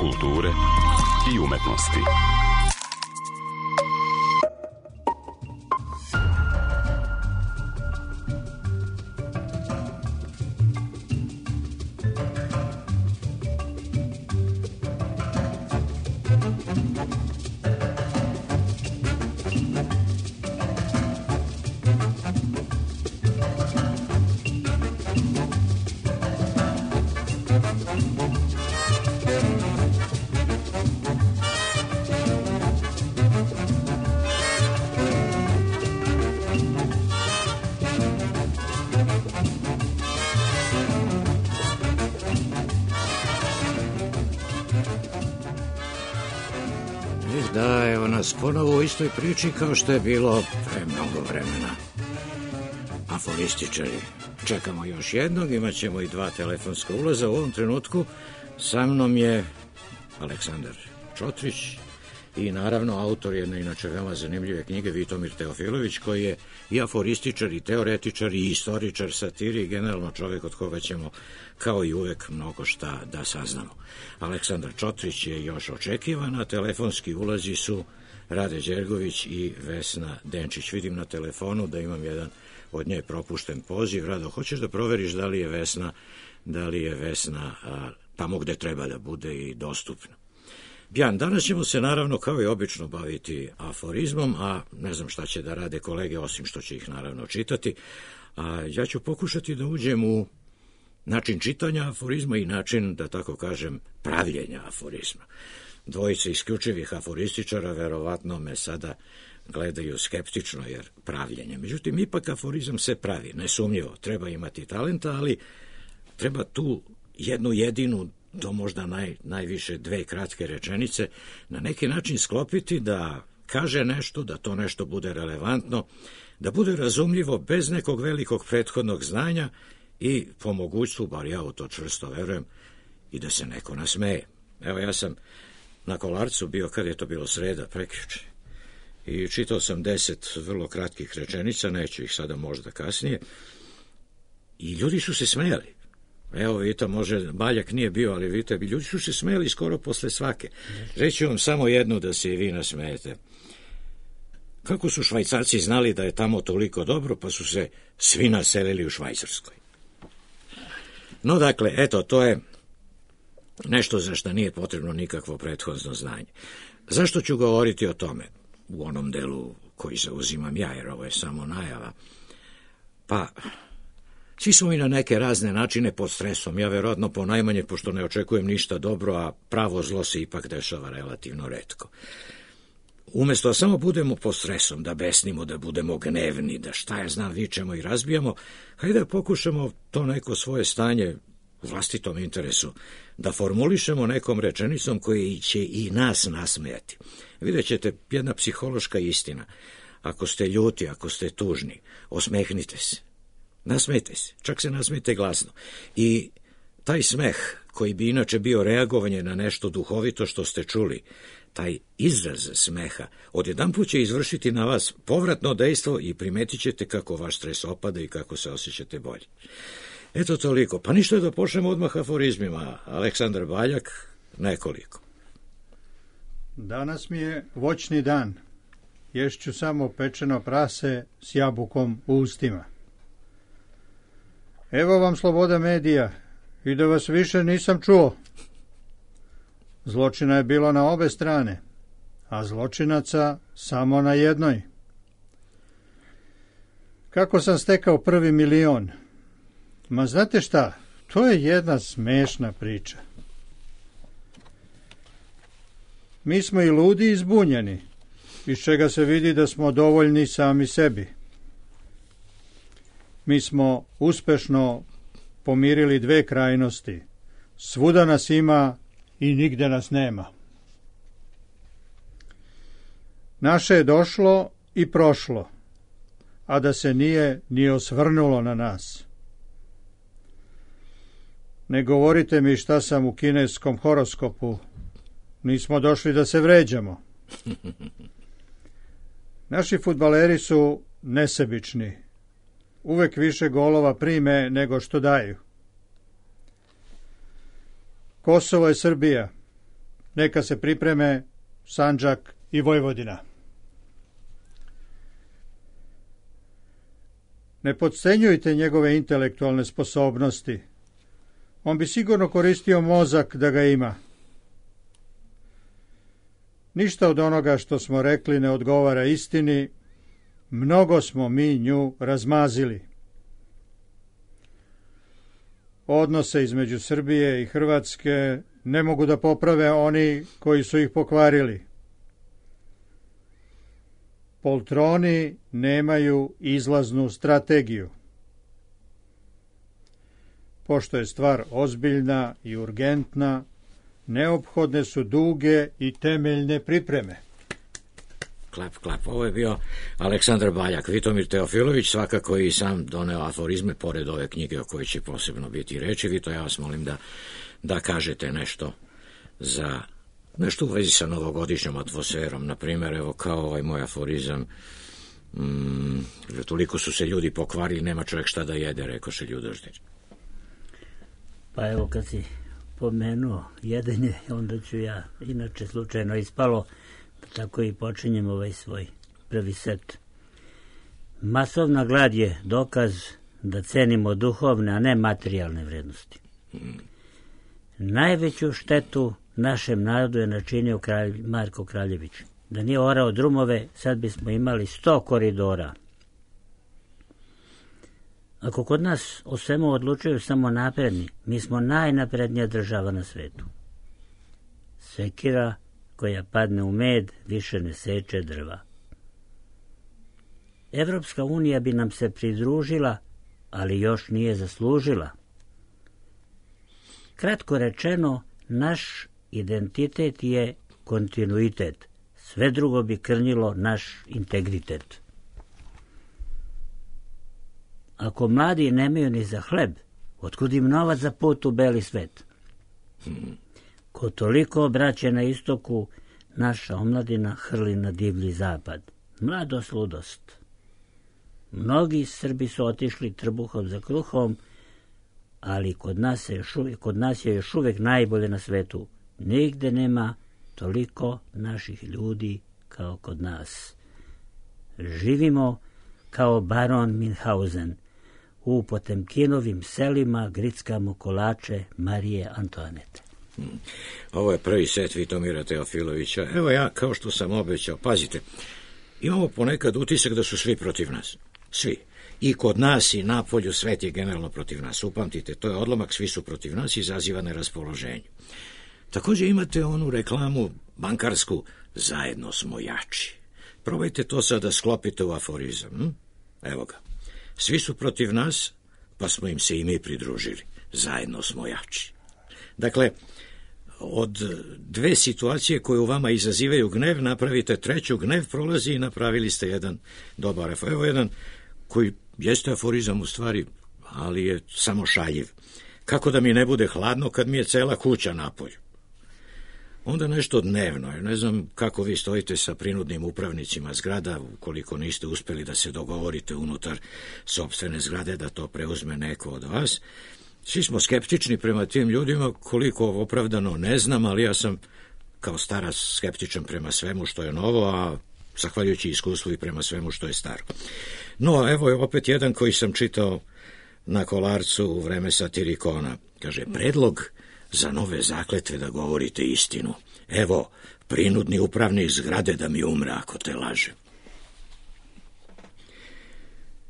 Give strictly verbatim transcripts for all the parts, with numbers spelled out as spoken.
kulture i umetnosti. Da, evo nas ponovo u istoj priči kao što je bilo pre mnogo vremena. Aforističari. Čekamo još jednog, imat ćemo i dva telefonska ulaza. U ovom trenutku sa mnom je Aleksandar Čotrić i naravno autor jedne inače veoma zanimljive knjige Vitomir Teofilović, koji je i aforističar, i teoretičar, i istoričar, satiri, i generalno čovjek od koga ćemo kao i uvek mnogo šta da saznamo. Aleksandar Čotrić je još očekivana, telefonski ulazi su Rade Đergović i Vesna Denčić. Vidim na telefonu da imam jedan od nje propušten poziv. Rado, hoćeš da proveriš da li je Vesna, da li je Vesna a, tamo gde treba da bude i dostupna? Bjan, danas ćemo se naravno kao i obično baviti aforizmom, a ne znam šta će da rade kolege, osim što će ih naravno čitati. A ja ću pokušati da uđem u način čitanja aforizma i način, da tako kažem, pravljenja aforizma. Dvojice isključivih aforističara verovatno me sada gledaju skeptično, jer pravljenje. Međutim, ipak aforizam se pravi, nesumnjivo. Treba imati talenta, ali treba tu jednu jedinu, to možda naj, najviše dve kratke rečenice, na neki način sklopiti da kaže nešto, da to nešto bude relevantno, da bude razumljivo bez nekog velikog prethodnog znanja i po mogućstvu, bar ja u to čvrsto verujem, i da se neko nasmeje. Evo, ja sam na Kolarcu bio, kad je to bilo sreda, prekjuče, i čitao sam deset vrlo kratkih rečenica, neću ih sada možda kasnije, i ljudi su se smejali. Evo, vidite, može, Baljak nije bio, ali vidite, ljudi su se smejali skoro posle svake. Reći vam samo jednu da se i vi nasmejete. Kako su Švajcarci znali da je tamo toliko dobro, pa su se svi naselili u Švajcarskoj. No, dakle, eto, to je nešto za što nije potrebno nikakvo prethodno znanje. Zašto ću govoriti o tome? U onom delu koji zauzimam ja, jer ovo je samo najava. Pa, svi smo i na neke razne načine pod stresom. Ja verovatno ponajmanje, pošto ne očekujem ništa dobro, a pravo zlo se ipak dešava relativno retko. Umesto da samo budemo pod stresom, da besnimo, da budemo gnevni, da šta ja znam, vičemo i razbijamo, hajde da pokušamo to neko svoje stanje u vlastitom interesu da formulišemo nekom rečenicom koji će i nas nasmejati. Vidjet ćete, jedna psihološka istina. Ako ste ljuti, ako ste tužni, osmehnite se. Nasmejte se, čak se nasmejte glasno. I taj smeh, koji bi inače bio reagovanje na nešto duhovito što ste čuli, taj izraz smeha, odjedanput će izvršiti na vas povratno dejstvo i primetit ćete kako vaš stres opada i kako se osjećate bolje. Eto toliko. Pa ništa, da počnemo odmah aforizmima. Aleksandar Baljak, nekoliko. Danas mi je voćni dan. Ješću samo pečeno prase s jabukom u ustima. Evo vam sloboda medija, i da vas više nisam čuo. Zločina je bilo na obe strane, a zločinaca samo na jednoj. Kako sam stekao prvi milion? Ma znate šta, to je jedna smešna priča. Mi smo i ludi i zbunjeni, iz čega se vidi da smo dovoljni sami sebi. Mi smo uspešno pomirili dve krajnosti. Svuda nas ima i nigde nas nema. Naše je došlo i prošlo, a da se nije ni osvrnulo na nas. Ne govorite mi šta sam u kineskom horoskopu. Nismo došli da se vređamo. Naši fudbaleri su nesebični. Uvek više golova prime nego što daju. Kosovo je Srbija. neka se pripreme Sandžak i Vojvodina. Ne podcenjujte njegove intelektualne sposobnosti. On bi sigurno koristio mozak da ga ima. Ništa od onoga što smo rekli ne odgovara istini, mnogo smo mi nju razmazili. Odnose između Srbije i Hrvatske ne mogu da poprave oni koji su ih pokvarili. Poltroni nemaju izlaznu strategiju. Pošto je stvar ozbiljna i urgentna, neophodne su duge i temeljne pripreme. Klap, klap. Ovo je bio Aleksandar Baljak. Vitomir Teofilović, svakako i sam doneo aforizme pored ove knjige o kojoj će posebno biti reči. Vito, ja vas molim da, da kažete nešto za nešto u vezi sa novogodišnjom atmosferom. Na primjer, evo kao ovaj moj aforizam, mm, toliko su se ljudi pokvarili, nema čovjek šta da jede, rekoše Ljudoždir. Pa evo, kad si pomenuo jedenje, onda ću ja, inače slučajno ispalo, tako i počinjem ovaj svoj prvi set. Masovna glad je dokaz da cenimo duhovne, a ne materijalne vrednosti. Hmm. Najveću štetu našem narodu je načinio kralj Marko Kraljević. Da nije orao drumove, sad bismo imali sto koridora. Ako kod nas o svemu odlučuju samo napredni, mi smo najnaprednija država na svetu. Sekira koja padne u med više ne seče drva. Evropska unija bi nam se pridružila, ali još nije zaslužila. Kratko rečeno, naš identitet je kontinuitet. Sve drugo bi krnjilo naš integritet. Ako mladi nemaju ni za hleb, otkud im novac za put u beli svet? Ko toliko obraće na istoku, naša omladina hrli na divlji zapad. Mladost, ludost. Mnogi Srbi su otišli trbuhom za kruhom, ali kod nas je još uvijek, kod nas je još uvijek najbolje na svetu. Nigde nema toliko naših ljudi kao kod nas. Živimo kao baron Minhausen. U Potemkinovim selima grickamo kolače Marije Antoanete. Ovo je prvi set Vitomira Teofilovića. Evo ja, kao što sam obećao, pazite, imamo ponekad utisak da su svi protiv nas. Svi. I kod nas i napolju svet je generalno protiv nas. Upamtite, to je odlomak, svi su protiv nas, izaziva neraspoloženje. Također imate onu reklamu bankarsku, zajedno smo jači. Probajte to sad da sklopite u aforizam. Hm? Evo ga. Svi su protiv nas, pa smo im se i mi pridružili. Zajedno smo jači. Dakle, od dve situacije koje u vama izazivaju gnev, napravite treću, gnev prolazi i napravili ste jedan dobar aforizam. Evo jedan koji jeste aforizam u stvari, ali je samo šaljiv. Kako da mi ne bude hladno kad mi je cela kuća napolju? Onda nešto dnevno, ne znam kako vi stojite sa prinudnim upravnicima zgrada, ukoliko niste uspjeli da se dogovorite unutar sopstvene zgrade da to preuzme neko od vas. Svi smo skeptični prema tim ljudima, koliko opravdano ne znam, ali ja sam kao starac skeptičan prema svemu što je novo, a zahvaljujući iskustvu i prema svemu što je staro. No, evo je opet jedan koji sam čitao na Kolarcu u vreme Satirikona. Kaže, predlog za nove zakletve da govorite istinu. Evo, prinudni upravnik zgrade da mi umre ako te laže.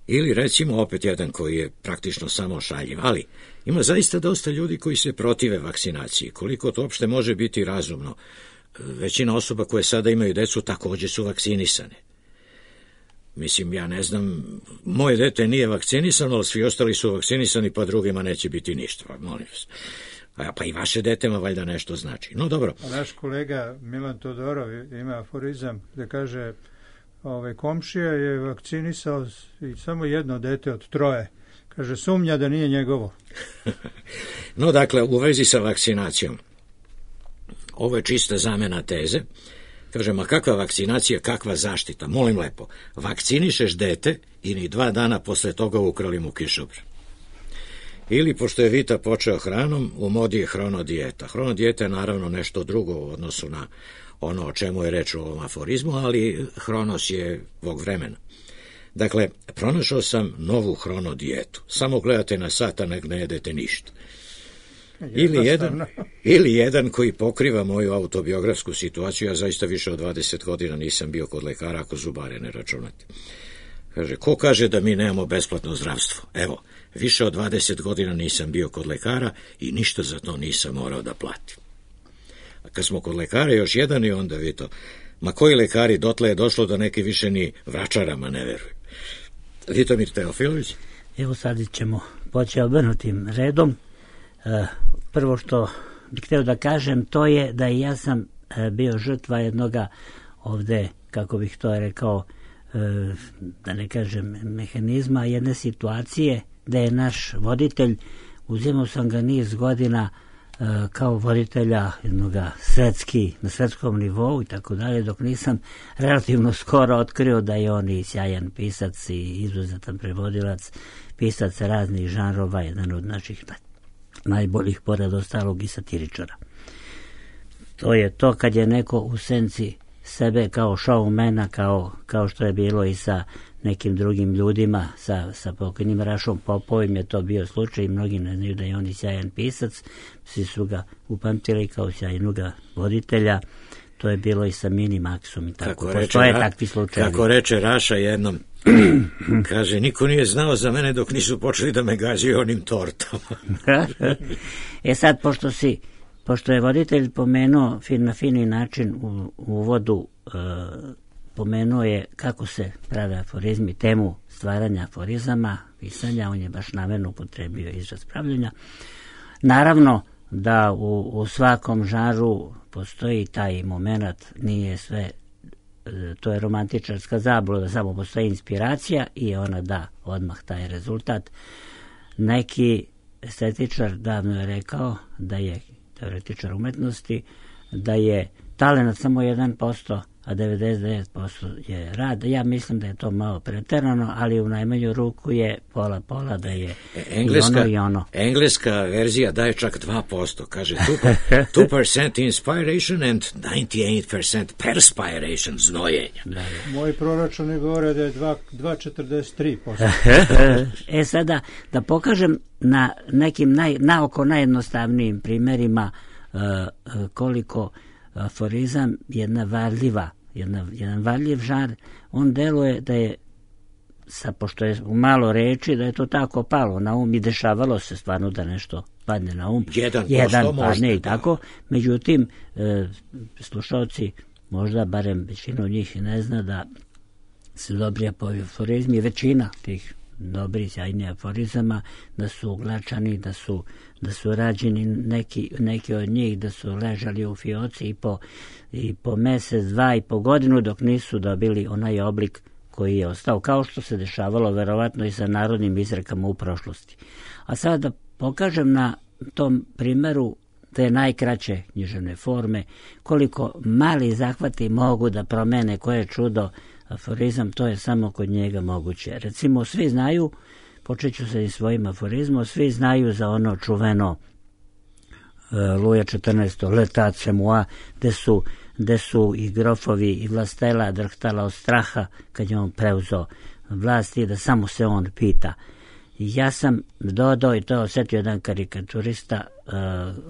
Ili recimo opet jedan koji je praktično samo šaljiv, ali ima zaista dosta ljudi koji se protive vakcinaciji. Koliko to uopšte može biti razumno? Većina osoba koje sada imaju decu također su vakcinisane. Mislim, ja ne znam, moje dete nije vakcinisano, ali svi ostali su vakcinisani, pa drugima neće biti ništa, pa molim vas. A pa i vaše detema valjda nešto znači. No dobro. A naš kolega Milan Todorov ima aforizam da kaže, ovaj, komšija je vakcinisao i samo jedno dete od troje. Kaže, sumnja da nije njegovo. No dakle, u vezi sa vakcinacijom, ovo je čista zamena teze. Kaže, ma kakva vakcinacija, kakva zaštita, molim lepo, vakcinišeš dete i ni dva dana posle toga ukrali mu kišobran. Ili, pošto je Vita počeo hranom, u modi je hronodijeta. Hronodijeta je naravno nešto drugo u odnosu na ono o čemu je reč u ovom aforizmu, ali hronos je vog vremena. Dakle, pronašao sam novu hronodijetu. Samo gledate na sat, a nek ne jedete ništa. Ili jedan, ili jedan koji pokriva moju autobiografsku situaciju. Ja zaista više od dvadeset godina nisam bio kod lekara, ako zubare ne računate. Kaže, ko kaže da mi nemamo besplatno zdravstvo? Evo, više od dvadeset godina nisam bio kod lekara i ništa za to nisam morao da platim. A kad smo kod lekara, još jedan i onda vi to. Ma koji lekari, dotle je došlo da neki više ni vračarama ne veruju. Vitomir Teofilović? Evo sad ćemo poći obrnutim redom. E, prvo što bih htio da kažem, to je da i ja sam e, bio žrtva jednoga ovde, kako bih to rekao, e, da ne kažem mehanizma, jedne situacije da je naš voditelj, uzimao sam ga niz godina e, kao voditelja jednoga svetski, na svetskom nivou i tako dalje, dok nisam relativno skoro otkrio da je on i sjajan pisac i izuzetan prevodilac, pisac raznih žanrova, jedan od naših najboljih pored ostalog i satiričara. To je to kad je neko u senci sebe kao showmana, kao, kao što je bilo i sa nekim drugim ljudima, sa, sa pokojnim Rašom Popovim je to bio slučaj i mnogi ne znaju da je on i sjajan pisac, svi su ga upamtili kao sjajnoga voditelja. To je bilo i sa Mini Maxom i tako. Kako postoje reče, takvi slučajevi. Kako reče Raša jednom, kaže, niko nije znao za mene dok nisu počeli da me gađaju onim tortama. E sad, pošto si, pošto je voditelj pomenuo fin, na fini način u, u uvodu, e, pomenuo je kako se prave aforizmi, temu stvaranja aforizama, pisanja, on je baš namerno upotrebio izraz pravljenja. Naravno da u, u svakom žanru postoji taj moment, nije sve, to je romantičarska zabluda, samo postoji inspiracija i ona da odmah taj rezultat. Neki estetičar davno je rekao da je teoretičar umetnosti, da je talenat samo jedan posto, a devedeset devet posto je rad. Ja mislim da je to malo preterano, ali u najmanju ruku je pola pola, da je engleska, i ono i ono. Engleska verzija daje čak dva posto, kaže two percent inspiration and ninety-eight percent perspiration, znojenja. Da, da. Moji proračuni govore da je dva zarez četrdeset tri posto. E sada, da pokažem na nekim naj, naoko najjednostavnijim primjerima uh, koliko aforizam jedna varljiva, jedna, jedan varljiv žar, on deluje da je, sa, pošto je u malo reči, da je to tako palo na um i dešavalo se stvarno da nešto padne na um. Jedan, jedan padne možda, i tako. Međutim, e, slušalci, možda barem većina od njih ne zna da su dobri aforizmi, većina tih dobri, sjajni aforizama, da su uglačani, da su, da su rađeni neki, neki od njih, da su ležali u fioci i po, i po mesec, dva i po godinu dok nisu dobili onaj oblik koji je ostao, kao što se dešavalo verovatno i sa narodnim izrekama u prošlosti. A sada da pokažem na tom primeru te najkraće književne forme, koliko mali zahvati mogu da promene koje čudo aforizam, to je samo kod njega moguće. Recimo, svi znaju, počet ću se i svojim aforizmom, svi znaju za ono čuveno uh, Luja četrnaestog Letat se moi, gde su, gde su i grofovi i vlastela drhtala od straha kad je on preuzeo vlast i da samo se on pita. Ja sam dodao, i to je osjetio jedan karikaturista, uh,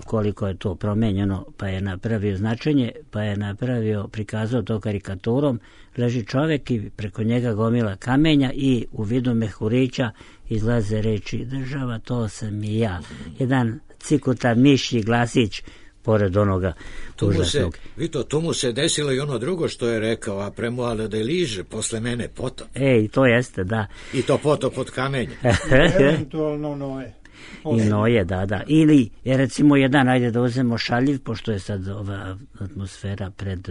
koliko je to promenjeno, pa je napravio značenje, pa je napravio, prikazao to karikaturom, leži čovjek i preko njega gomila kamenja i u vidu mehurića izlaze reči država, to sam i ja. Jedan cikutan mišji glasić pored onoga užasnog. Vi to, tu mu se desilo i ono drugo što je rekao, a premoale da liže posle mene potop. Ej, to jeste, da. I to potop od kamenja. Eventualno noje. I noje, da, da. Ili, recimo, jedan, ajde da uzemo šaljiv, pošto je sad ova atmosfera pred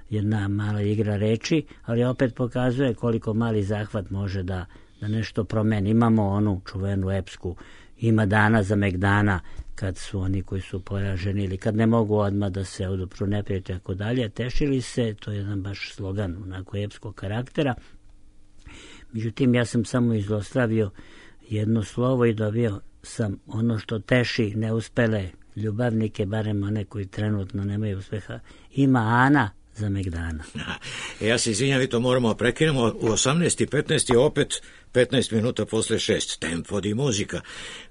jedna mala igra reči, ali opet pokazuje koliko mali zahvat može da, da nešto promeni. Imamo onu čuvenu epsku, ima dana za megdana, kad su oni koji su poraženi ili kad ne mogu odmah da se odupru neprijatelja tako dalje, tešili se, to je jedan baš slogan onako epskog karaktera. Međutim, ja sam samo izostravio jedno slovo i dobio sam ono što teši neuspele ljubavnike, barem one koji trenutno nemaju uspeha. Ima Ana za Megdana. Ja se izvinjam, vi to moramo prekinemo. U osamnaest i petnaest je opet petnaest minuta posle šest. Tempo di muzika.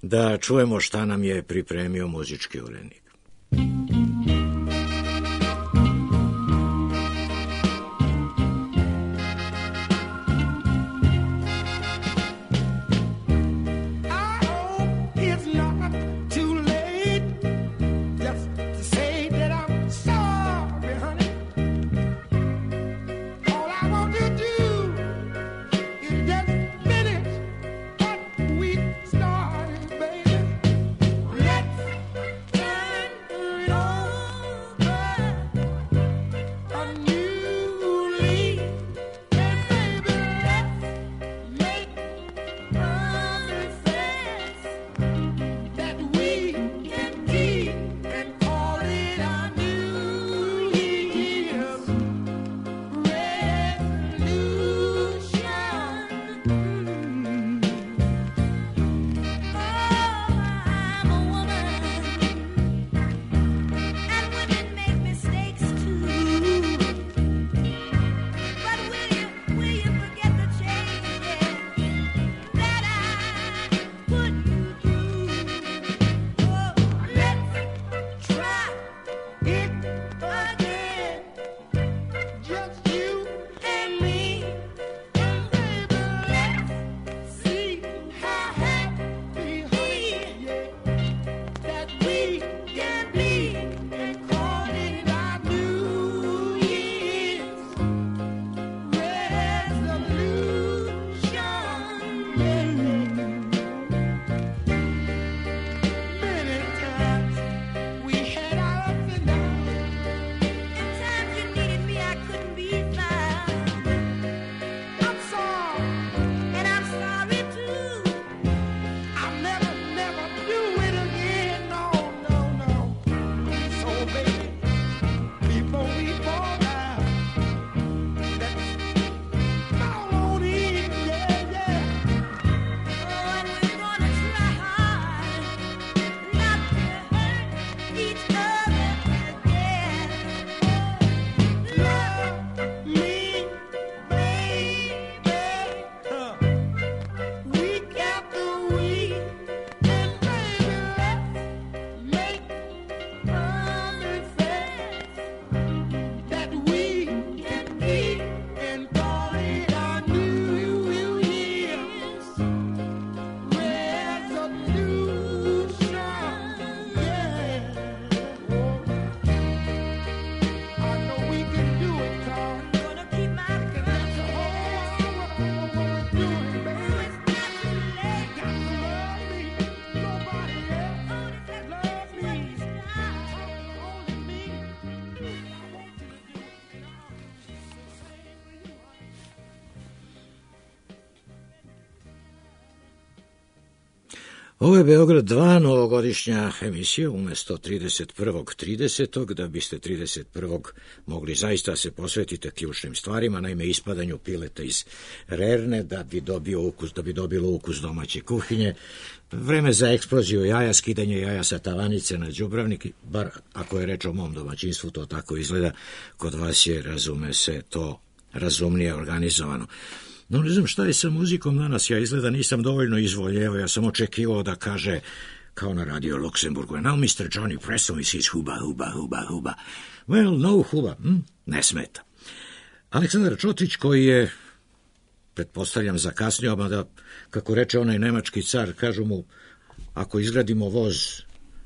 Da čujemo šta nam je pripremio muzički urednik. Ovo je Beograd dva, novogodišnja emisija, umjesto trideset prvog tridesetog da biste trideset prvog mogli zaista se posvetiti ključnim stvarima, naime ispadanju pileta iz rerne, da bi dobio ukus, da bi dobilo ukus domaće kuhinje, vreme za eksploziju jaja, skidanje jaja sa tavanice na đubravnik, bar ako je reč o mom domaćinstvu, to tako izgleda, kod vas je, razume se, to razumnije organizovano. No, ne znam šta je sa muzikom danas, ja izgleda nisam dovoljno izvoljevao, ja sam očekivao da kaže, kao na radio Luksemburgu, now mister Johnny Preston is his huba, huba, huba, huba. Well, no huba, hm? Ne smeta. Aleksandar Čotrić, koji je, pretpostavljam, zakasnio, mada, kako reče onaj nemački car, kažu mu, ako izgradimo voz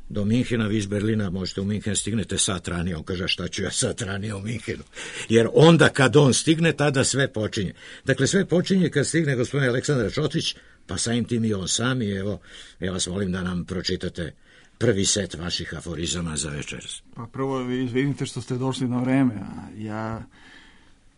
do Minhena, vi iz Berlina možete u Minhen, stignete sat ranije. On kaže, šta ću ja sat ranije u Minhenu? Jer onda kad on stigne, tada sve počinje. Dakle, sve počinje kad stigne gospodin Aleksandar Čotrić, pa samim tim i on sam, i evo, ja vas molim da nam pročitate prvi set vaših aforizama za večeras. Pa prvo, izvinite što ste došli na vreme, a ja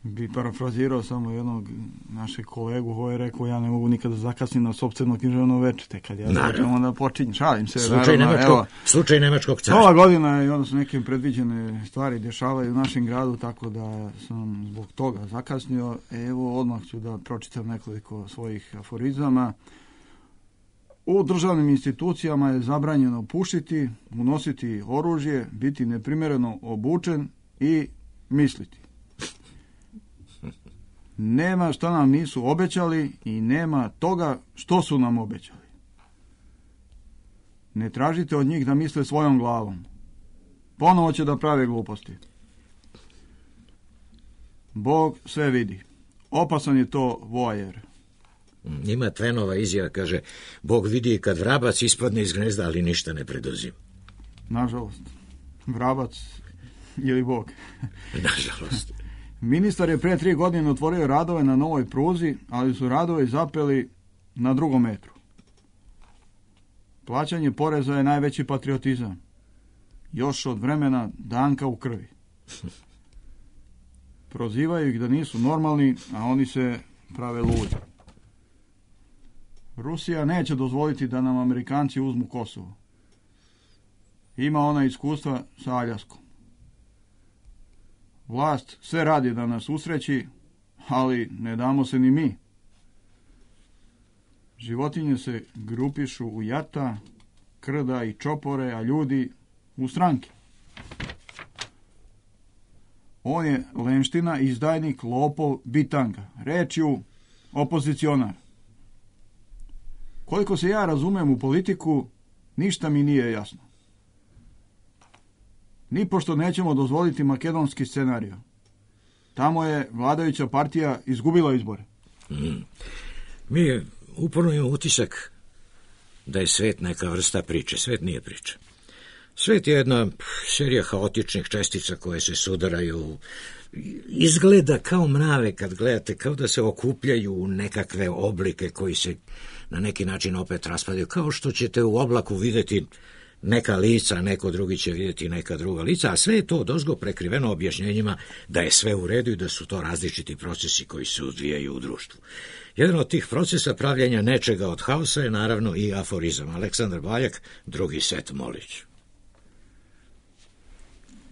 bi parafrazirao samo jednog našeg kolegu koji je rekao, ja ne mogu nikada zakasniti na sopstveno književno veče, te kad ja začem onda počinjem, šalim se. Slučaj, naravno, nemačkog, evo, slučaj nemačkog cara. Ova godina i onda su neke predviđene stvari dešavaju u našem gradu, tako da sam zbog toga zakasnio. Evo, odmah ću da pročitam nekoliko svojih aforizama. U državnim institucijama je zabranjeno pušiti, unositi oružje, biti neprimjereno obučen i misliti. Nema što nam nisu obećali i nema toga što su nam obećali. Ne tražite od njih da misle svojom glavom. Ponovo će da prave gluposti. Bog sve vidi. Opasan je to voajer. Ima Twainova izjava, kaže, Bog vidi kad vrabac ispadne iz gnezda, ali ništa ne preduzima. Nažalost, vrabac ili Bog. Nažalost. Ministar je pre tri godine otvorio radove na novoj pruzi, ali su radovi zapeli na drugom metru. Plaćanje poreza je najveći patriotizam. Još od vremena Danka u krvi. Prozivaju ih da nisu normalni, a oni se prave ludi. Rusija neće dozvoliti da nam Amerikanci uzmu Kosovo. Ima ona iskustva sa Aljaskom. Vlast sve radi da nas usreći, ali ne damo se ni mi. Životinje se grupišu u jata, krda i čopore, a ljudi u stranke. On je lenština, izdajnik, lopov, bitanga. Rečju opozicionar. Koliko se ja razumem u politiku, ništa mi nije jasno. Nipošto nećemo dozvoliti makedonski scenarij. Tamo je vladajuća partija izgubila izbore. Mm. Mi uporno imamo utisak da je svet neka vrsta priče. Svet nije priča. Svet je jedna serija haotičnih čestica koje se sudaraju. Izgleda kao mrave kad gledate, kao da se okupljaju u nekakve oblike koji se na neki način opet raspadaju. Kao što ćete u oblaku vidjeti neka lica, neko drugi će vidjeti neka druga lica, a sve je to odozgo prekriveno objašnjenjima da je sve u redu i da su to različiti procesi koji se odvijaju u društvu. Jedan od tih procesa pravljenja nečega od haosa je naravno i aforizam. Aleksandar Baljak, drugi set, Molić.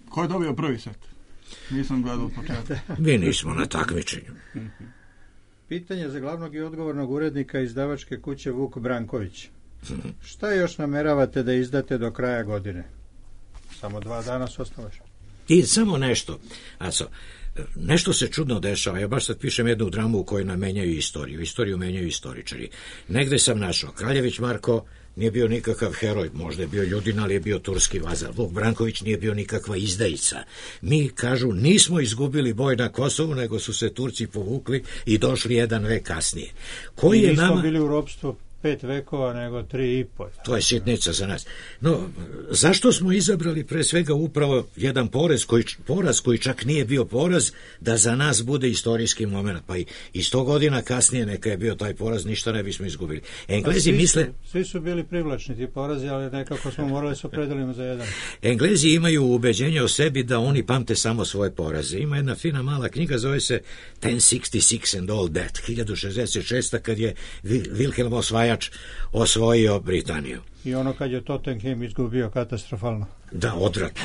Ko je dobio prvi set? Nisam gledao od početka. Mi nismo na takmičenju. Pitanje za glavnog i odgovornog urednika izdavačke kuće Vuk Branković. Šta još nameravate da izdate do kraja godine? Samo dva dana su ostalo. I samo nešto. Aco, nešto se čudno dešava. Ja baš sad pišem jednu dramu u kojoj nam menjaju istoriju. Istoriju menjaju istoričari. Negde sam našao. Kraljević Marko nije bio nikakav heroj. Možda je bio Ljudin, ali je bio turski vazal. Vuk Branković nije bio nikakva izdajica. Mi, kažu, nismo izgubili boj na Kosovu, nego su se Turci povukli i došli jedan vek kasnije. Koji je nismo nama... bili u ropstvu pet vekova, nego tri i pol. To je sitnica za nas. No, zašto smo izabrali pre svega upravo jedan porez koji, poraz koji čak nije bio poraz, da za nas bude istorijski moment? Pa i, i sto godina kasnije neka je bio taj poraz, ništa ne bismo izgubili. Englezi svi misle... Su, svi su bili privlačni ti porazi, ali nekako smo morali se opredelimo za jedan. Englezi imaju ubeđenje o sebi da oni pamte samo svoje poraze. Ima jedna fina mala knjiga, zove se ten šezdeset šest and all that, hiljadu šezdeset šest. kad je Wilhelm osvajač osvojio Britaniju. I ono kad je Tottenham izgubio katastrofalno. Da, odvratno.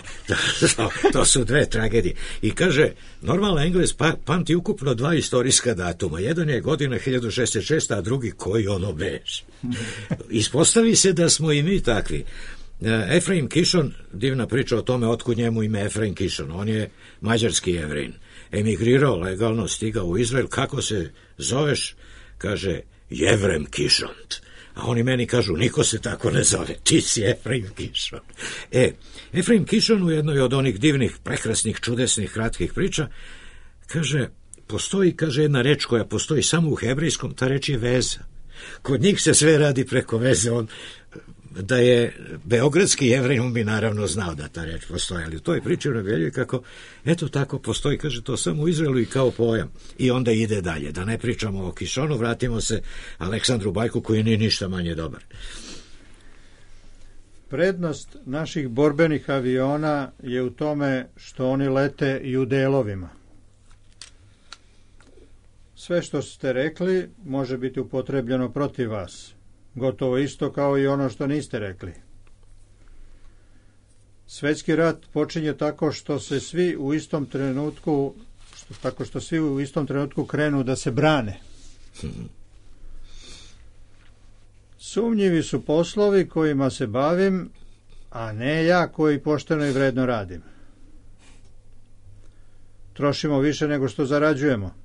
To su dve tragedije. I kaže, normalno Englez pa, pamti ukupno dva istorijska datuma. Jedan je godina hiljadu šezdeset šest. a drugi koji ono bež. Ispostavi se da smo i mi takvi. Efraim Kishon, divna priča o tome otkud njemu ime Efraim Kishon. On je mađarski Jevrin. Emigrirao legalno, stigao u Izrael. Kako se zoveš? Kaže, Jevrem Kišont. A oni meni kažu, niko se tako ne zove, ti si Efraim Kishon. E, Efraim Kishon u jednoj od onih divnih, prekrasnih, čudesnih, kratkih priča, kaže, postoji, kaže, jedna reč koja postoji samo u hebrejskom, ta reč je veza. Kod njih se sve radi preko veze. On, da je beogradski Jevrej, on bi naravno znao da ta reč postoji, ali u toj priči naveljuje kako, eto tako postoji, kaže, to samo u Izraelu i kao pojam. I onda ide dalje. Da ne pričamo o Kishonu, vratimo se Aleksandru Bajku, koji nije ništa manje dobar. Prednost naših borbenih aviona je u tome što oni lete i u delovima. Sve što ste rekli može biti upotrebljeno protiv vas. Gotovo isto kao i ono što niste rekli. Svetski rat počinje tako što se svi u istom trenutku, što, tako što svi u istom trenutku krenu da se brane. Sumnjivi su poslovi kojima se bavim, a ne ja koji pošteno i vredno radim. Trošimo više nego što zarađujemo.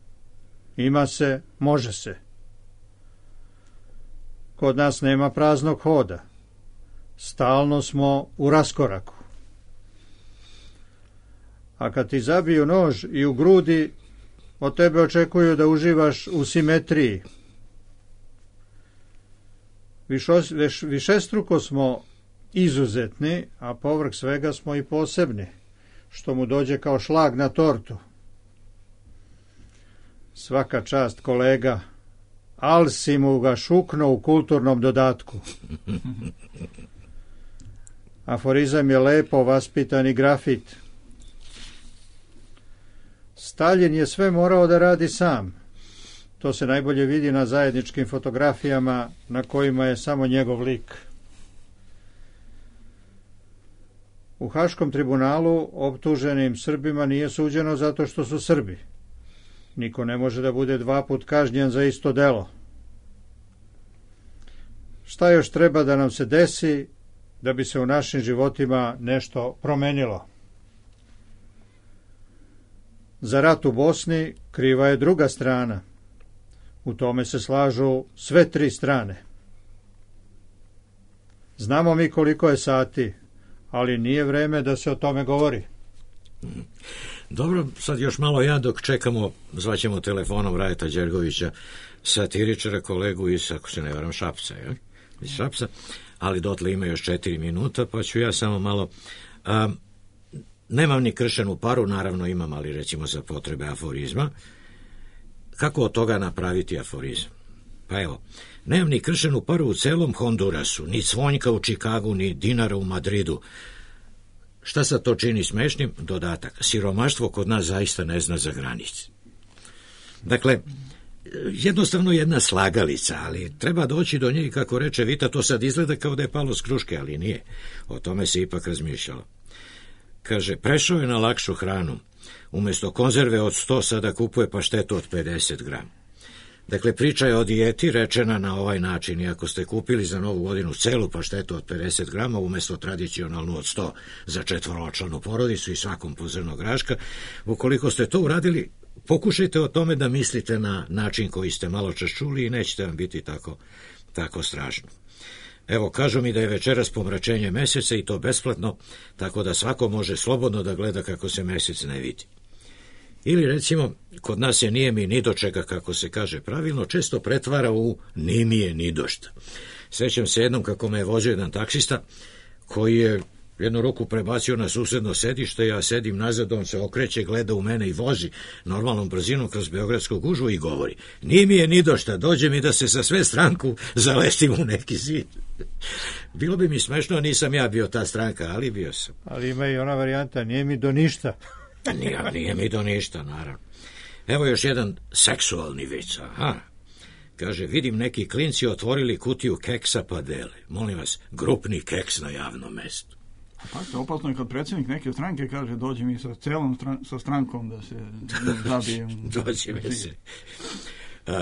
Ima se, može se. Kod nas nema praznog hoda. Stalno smo u raskoraku. A kad ti zabiju nož i u grudi, od tebe očekuju da uživaš u simetriji. Višos, viš, višestruko smo izuzetni, a povrh svega smo i posebni, što mu dođe kao šlag na tortu. Svaka čast, kolega, al si mu ga šukno u kulturnom dodatku. Aforizam je lepo vaspitani grafit. Staljin je sve morao da radi sam. To se najbolje vidi na zajedničkim fotografijama na kojima je samo njegov lik. U Haškom tribunalu optuženim Srbima nije suđeno zato što su Srbi. Niko ne može da bude dva put kažnjen za isto delo. Šta još treba da nam se desi da bi se u našim životima nešto promenilo? Za rat u Bosni kriva je druga strana. U tome se slažu sve tri strane. Znamo mi koliko je sati, ali nije vreme da se o tome govori. Dobro, sad još malo ja dok čekamo, zvaćemo telefonom Rajeta Đergovića, satiričara, kolegu iz, ako se ne varam, Šapca, je? Iz Šapca, ali dotle ima još četiri minuta, pa ću ja samo malo... A, nemam ni kršenu paru, naravno imam, ali recimo za potrebe aforizma. Kako od toga napraviti aforizam? Pa evo, nemam ni kršenu paru u celom Hondurasu, ni cvonjka u Čikagu, ni dinara u Madridu. Šta sad to čini smešnim? Dodatak. Siromaštvo kod nas zaista ne zna za granice. Dakle, jednostavno jedna slagalica, ali treba doći do nje i kako reče Vita, to sad izgleda kao da je palo s kruške, ali nije. O tome se ipak razmišljalo. Kaže, prešao je na lakšu hranu. Umjesto konzerve od sto sada kupuje paštetu od pedeset grama. Dakle, priča je o dijeti rečena na ovaj način. I ako ste kupili za novu godinu celu paštetu od pedeset grama, umjesto tradicionalnu od sto za četvoročlanu porodicu i svakom po zrno graška, ukoliko ste to uradili, pokušajte o tome da mislite na način koji ste malo čas čuli i nećete vam biti tako, tako strašno. Evo, kažu mi da je večeras pomračenje meseca i to besplatno, tako da svako može slobodno da gleda kako se mesec ne vidi. Ili recimo, kod nas je nije mi ni do čega, kako se kaže pravilno, često pretvara u ni mi je ni do šta. Sjećam se jednom kako me je vozio jedan taksista koji je jednu ruku prebacio na susedno sedište, ja sedim nazad, on se okreće, gleda u mene i vozi normalnom brzinom kroz beogradsku gužvu i govori, ni mi je ni do šta, dođe mi da se sa sve stranku zalestim u neki zid. Bilo bi mi smešno, nisam ja bio ta stranka, ali bio sam. Ali ima i ona varijanta, nije mi do ništa. Nije, nije mi do ništa, naravno. Evo još jedan seksualni vic, aha. Kaže, vidim neki klinci otvorili kutiju keksa pa dele. Molim vas, grupni keks na javnom mestu. Pa to opasno je kad predsjednik neke stranke kaže, dođi mi sa celom stran, sa strankom da se zabijem. Dođi mi se. Uh,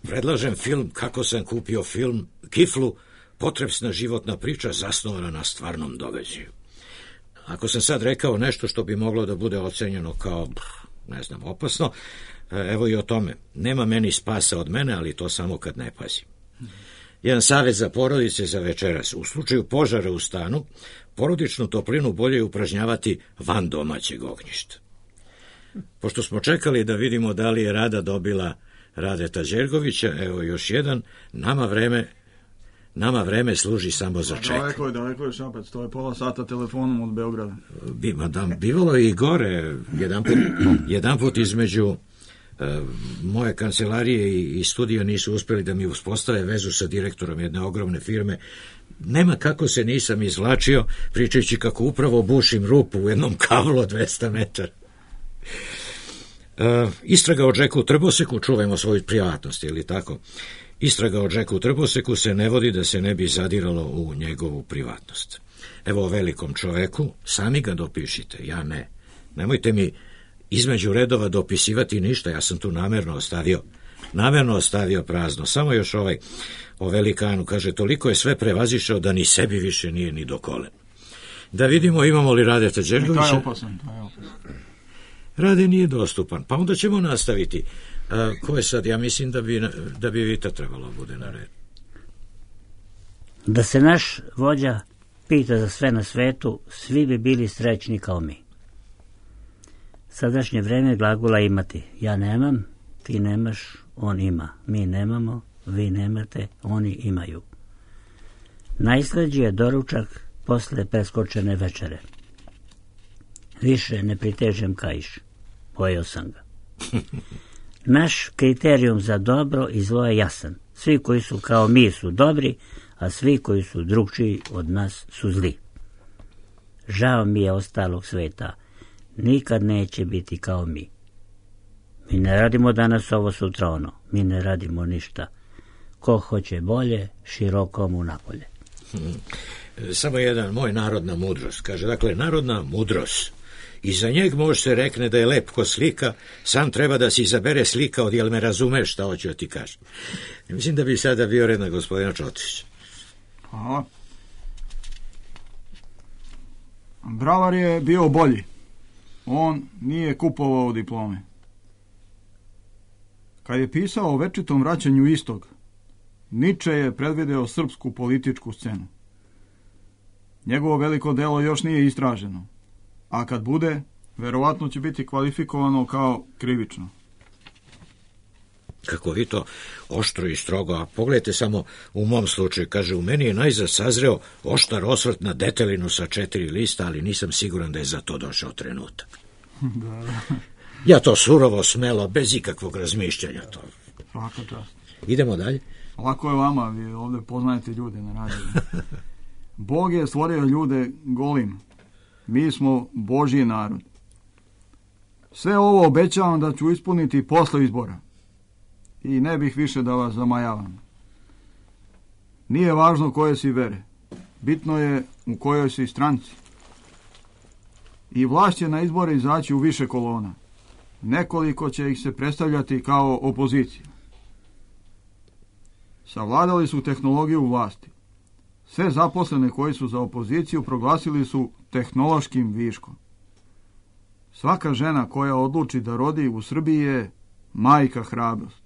predlažem film Kako sam kupio film Kiflu, potrebna životna priča zasnovana na stvarnom događaju. Ako sam sad rekao nešto što bi moglo da bude ocenjeno kao, ne znam, opasno, evo i o tome. Nema meni spasa od mene, ali to samo kad ne pazim. Jedan savjet za porodice za večeras. U slučaju požara u stanu, porodičnu toplinu bolje je upražnjavati van domaćeg ognjišta. Pošto smo čekali da vidimo da li je Rada dobila Radeta Đergovića, evo još jedan, nama vreme Nama vreme služi samo za čekanje. Daleko je, daleko je Šapac, to je pola sata telefonom od Beograda. Bi, madam, bivalo je i gore, jedan put, jedan put između uh, moje kancelarije i, i studija nisu uspjeli da mi uspostave vezu sa direktorom jedne ogromne firme. Nema kako se nisam izvlačio, pričajući kako upravo bušim rupu u jednom kablu od dvesta metara. Uh, istraga o Džeku Trboseku, čuvajmo svoju privatnost, ili tako? Istraga o Džeku Trboseku se ne vodi da se ne bi zadiralo u njegovu privatnost. Evo o velikom čoveku, sami ga dopišite, ja ne. Nemojte mi između redova dopisivati ništa, ja sam tu namjerno ostavio Namjerno ostavio prazno, samo još ovaj o velikanu, kaže, toliko je sve prevazišao da ni sebi više nije ni do kolen. Da vidimo imamo li Radeta Đergovića. To je opasan, to je opasan. Rade nije dostupan, pa onda ćemo nastaviti. A, ko je sad? Ja mislim da bi, da bi Vita trebalo bude na red. Da se naš vođa pita za sve na svetu, svi bi bili srećni kao mi. Sadašnje vreme glagola imati. Ja nemam, ti nemaš, on ima. Mi nemamo, vi nemate, oni imaju. Najslađi je doručak posle preskočene večere. Više ne pritežem kaiš. Pojeo sam ga. Naš kriterijum za dobro i zlo je jasan. Svi koji su kao mi su dobri, a svi koji su drugčiji od nas su zli. Žao mi je ostalog sveta. Nikad neće biti kao mi. Mi ne radimo danas ovo, sutra ono. Mi ne radimo ništa. Ko hoće bolje, široko mu napolje. Hmm. Samo jedan, moj narodna mudrost. Kaže, dakle, narodna mudrost. I za njeg može se rekne da je lep ko slika, sam treba da si izabere slika od jel me razumeš šta hoću da ti kažem. Mislim da bi sada bio red na gospodina Čotrića. Hvala. Bravar je bio bolji. On nije kupovao diplome. Kad je pisao o večitom vraćanju istog, Niče je predvideo srpsku političku scenu. Njegovo veliko delo još nije istraženo, a kad bude, verovatno će biti kvalifikovano kao krivično. Kako vi to oštro i strogo, a pogledajte samo u mom slučaju, kaže, u meni je najzad sazreo oštar osvrt na detelinu sa četiri lista, ali nisam siguran da je za to došao trenutak. Da, da. Ja to surovo, smelo, bez ikakvog razmišljanja. To. Svaka čast. Idemo dalje. Lako je vama, vi ovdje poznajete ljude na radiju. Bog je stvorio ljude golim. Mi smo Božji narod. Sve ovo obećavam da ću ispuniti posle izbora. I ne bih više da vas zamajavam. Nije važno koje si vere. Bitno je u kojoj si stranci. I vlast će na izbore izaći u više kolona. Nekoliko će ih se predstavljati kao opozicija. Savladali su tehnologiju vlasti. Sve zaposlene koji su za opoziciju proglasili su tehnološkim viškom. Svaka žena koja odluči da rodi u Srbiji je majka hrabrost.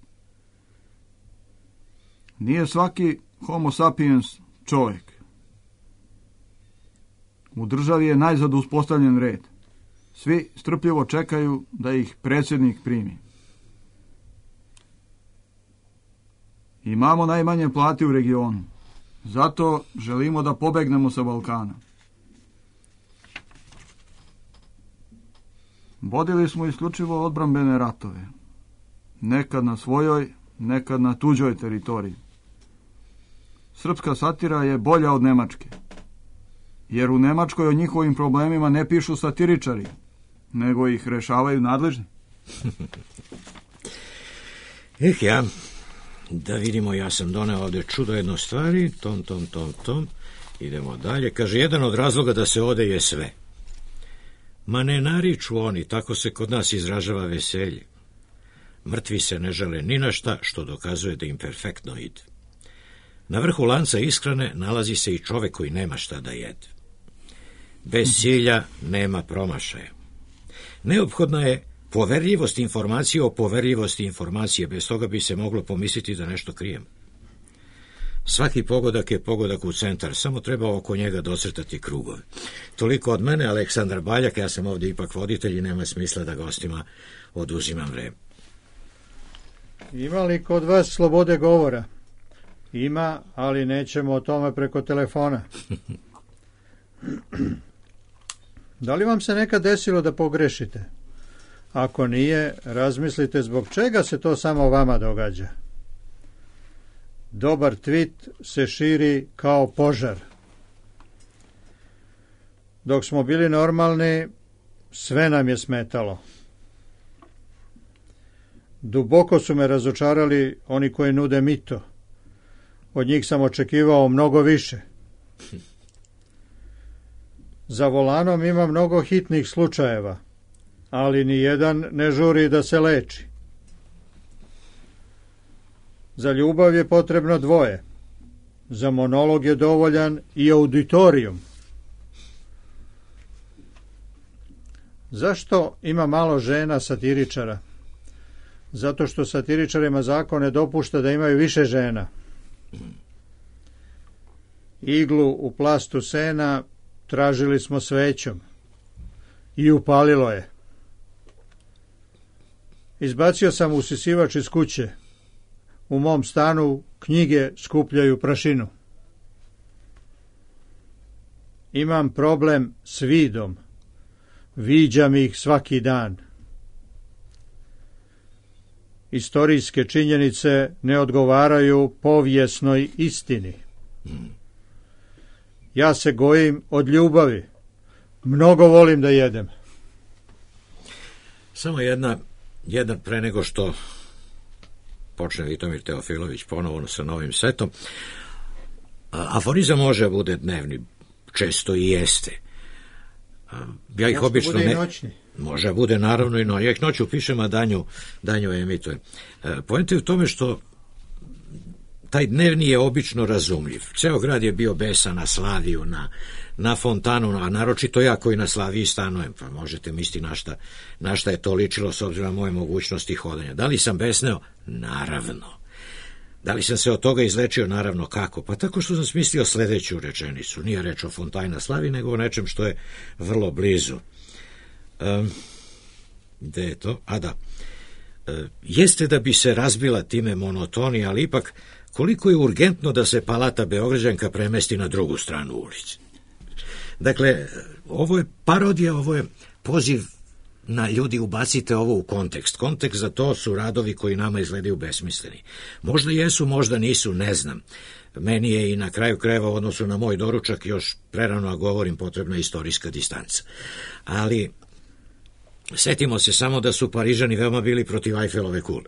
Nije svaki homo sapiens čovjek. U državi je najzad uspostavljen red. Svi strpljivo čekaju da ih predsjednik primi. Imamo najmanje plati u regionu. Zato želimo da pobegnemo sa Balkana. Vodili smo isključivo odbrambene ratove. Nekad na svojoj, nekad na tuđoj teritoriji. Srpska satira je bolja od nemačke. Jer u Nemačkoj o njihovim problemima ne pišu satiričari, nego ih rešavaju nadležni. Eh ja, da vidimo, ja sam doneo ovdje čudo jedno stvari, tom, tom, tom, tom, idemo dalje. Kaže, jedan od razloga da se ode je sve. Ma ne nariču oni, tako se kod nas izražava veselje. Mrtvi se ne žele ni na šta, što dokazuje da im perfektno ide. Na vrhu lanca ishrane nalazi se i čovek koji nema šta da jede. Bez cilja nema promašaja. Neophodna je poverljivost informacije o poverljivosti informacije, bez toga bi se moglo pomisliti da nešto krijem. Svaki pogodak je pogodak u centar, samo treba oko njega docrtati krugove. Toliko od mene, Aleksandar Baljak, ja sam ovdje ipak voditelj i nema smisla da gostima oduzimam vreme. Ima li kod vas slobode govora? Ima, ali nećemo o tome preko telefona. Da li vam se nekad desilo da pogrešite? Ako nije, razmislite zbog čega se to samo vama događa. Dobar tweet se širi kao požar. Dok smo bili normalni, sve nam je smetalo. Duboko su me razočarali oni koji nude mito. Od njih sam očekivao mnogo više. Za volanom ima mnogo hitnih slučajeva, ali ni jedan ne žuri da se leči. Za ljubav je potrebno dvoje. Za monolog je dovoljan i auditorijum. Zašto ima malo žena satiričara? Zato što satiričarima zakon ne dopušta da imaju više žena. Iglu u plastu sena tražili smo svećom i upalilo je. Izbacio sam usisivač iz kuće. U mom stanu knjige skupljaju prašinu. Imam problem s vidom. Viđam ih svaki dan. Istorijske činjenice ne odgovaraju povijesnoj istini. Ja se gojim od ljubavi. Mnogo volim da jedem. Samo jedna, jedan pre nego što počne Vitomir Teofilović ponovo sa novim setom. Aforizam može bude dnevni, često i jeste. Ja ih može obično bude ne... i noćni. Može bude naravno i noćni. Ja ih noću pišem, a danju, danju emitujem. Poenta je u tome što taj dnevni je obično razumljiv. Ceo grad je bio besan na Slaviju, na, na fontanu, a naročito ja koji na Slaviji stanujem, pa možete misliti na šta, na šta je to ličilo s obzirom na moje mogućnosti hodanja. Da li sam besneo? Naravno. Da li sam se od toga izlečio? Naravno. Kako? Pa tako što sam smislio sledeću rečenicu. Nije reč o fontanji na Slaviji, nego o nečem što je vrlo blizu. Um, gde je to? A da. E, jeste da bi se razbila time monotonija, ali ipak koliko je urgentno da se Palata Beograđanka premesti na drugu stranu ulici. Dakle, ovo je parodija, ovo je poziv na ljudi, ubacite ovo u kontekst. Kontekst za to su radovi koji nama izgledaju besmisleni. Možda jesu, možda nisu, ne znam. Meni je i na kraju krajeva u odnosu na moj doručak još prerano, a govorim, potrebna istorijska distanca. Ali setimo se samo da su Parižani veoma bili protiv Ajfelove kule.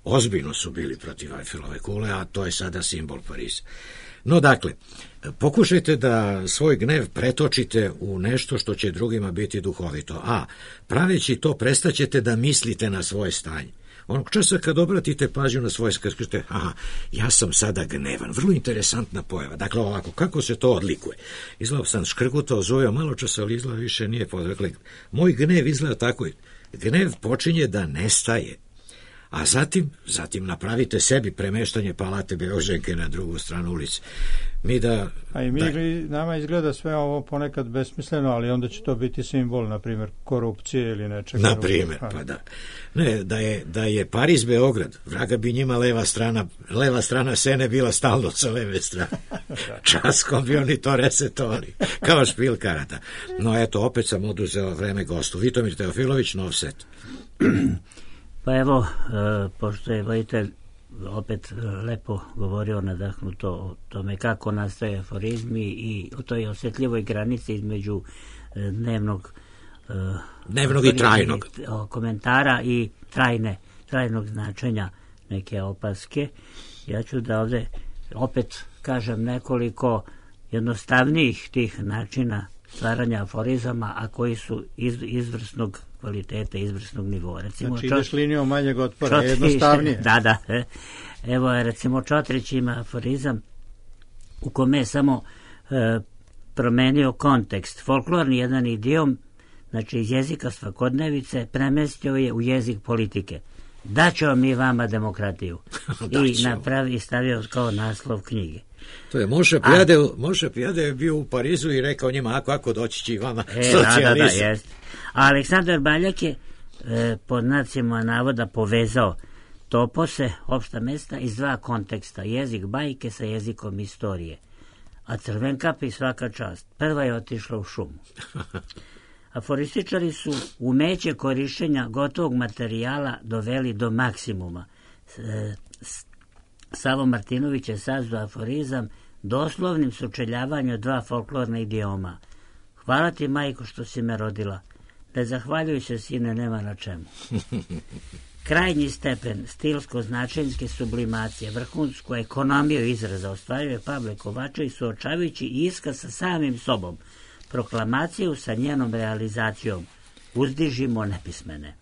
Ozbiljno su bili protiv Ajfelove kule, a to je sada simbol Pariza. No, dakle, pokušajte da svoj gnev pretočite u nešto što će drugima biti duhovito, a praveći to prestaćete da mislite na svoje stanje. Onog časa kad obratite pažnju na svoje, kad kažete, aha, ja sam sada gnevan, vrlo interesantna pojava. Dakle, ovako, kako se to odlikuje? Izgleda sam škrgutao, zoveo malo časa, ali izgleda više nije podrekli. Dakle, moj gnev izgleda tako. Gnev počinje da nestaje. A zatim, zatim napravite sebi premeštanje Palate Beograđanke na drugu stranu ulice. Mi da... A i mi, da, nama izgleda sve ovo ponekad besmisleno, ali onda će to biti simbol, na primjer, korupcije ili nečega. Na primjer, pa da. Ne, da je, da je Pariz Beograd, vraga bi njima leva strana, leva strana Sene bila stalno sa leve strane. Časkom bi oni to resetovali, kao špil karata. No eto, opet sam oduzeo vreme gostu. Vitomir Teofilović, nov set. Pa evo, e, pošto je vojitelj opet lepo govorio nadahnuto o tome kako nastaje aforizmi i o toj osjetljivoj granici između e, dnevnog, e, dnevnog i trajnog komentara i trajne, trajnog značenja neke opaske. Ja ću da ovde opet kažem nekoliko jednostavnijih tih načina stvaranja aforizama, a koji su iz, izvrsnog kvaliteta, izvrsnog nivoa. Recimo, znači ideš čot... linijom manjeg otpora, Čotrić, jednostavnije. Da, da. E. Evo, recimo, Čotrić ima aforizam u kome je samo e, promenio kontekst. Folklorni jedan idiom, znači iz jezika svakodnevice, premestio je u jezik politike. Daćemo mi vama demokratiju. I napravi, stavio kao naslov knjige. To je Moša Pijade, Moša Pijade je bio u Parizu i rekao njima, ako, ako doći će i vama e, socijalizam. Da, da, da, jest. A Aleksandar Baljak je e, pod znacima navoda povezao topose, opšta mesta iz dva konteksta, jezik bajke sa jezikom istorije. A Crvenkapi svaka čast. Prva je otišla u šumu. Aforističari su umeće korišćenja gotovog materijala doveli do maksimuma. E, Savo Martinović je sazdao aforizam doslovnim sučeljavanjem dva folklorna idioma. Hvala ti, majko, što si me rodila. Ne zahvaljuj se, sine, nema na čemu. Krajnji stepen stilsko-značenjske sublimacije, vrhunsku ekonomiju izraza ostvaruje Pavle Kovačević suočavajući iskaz sa samim sobom, proklamaciju sa njenom realizacijom. Uzdižimo nepismene.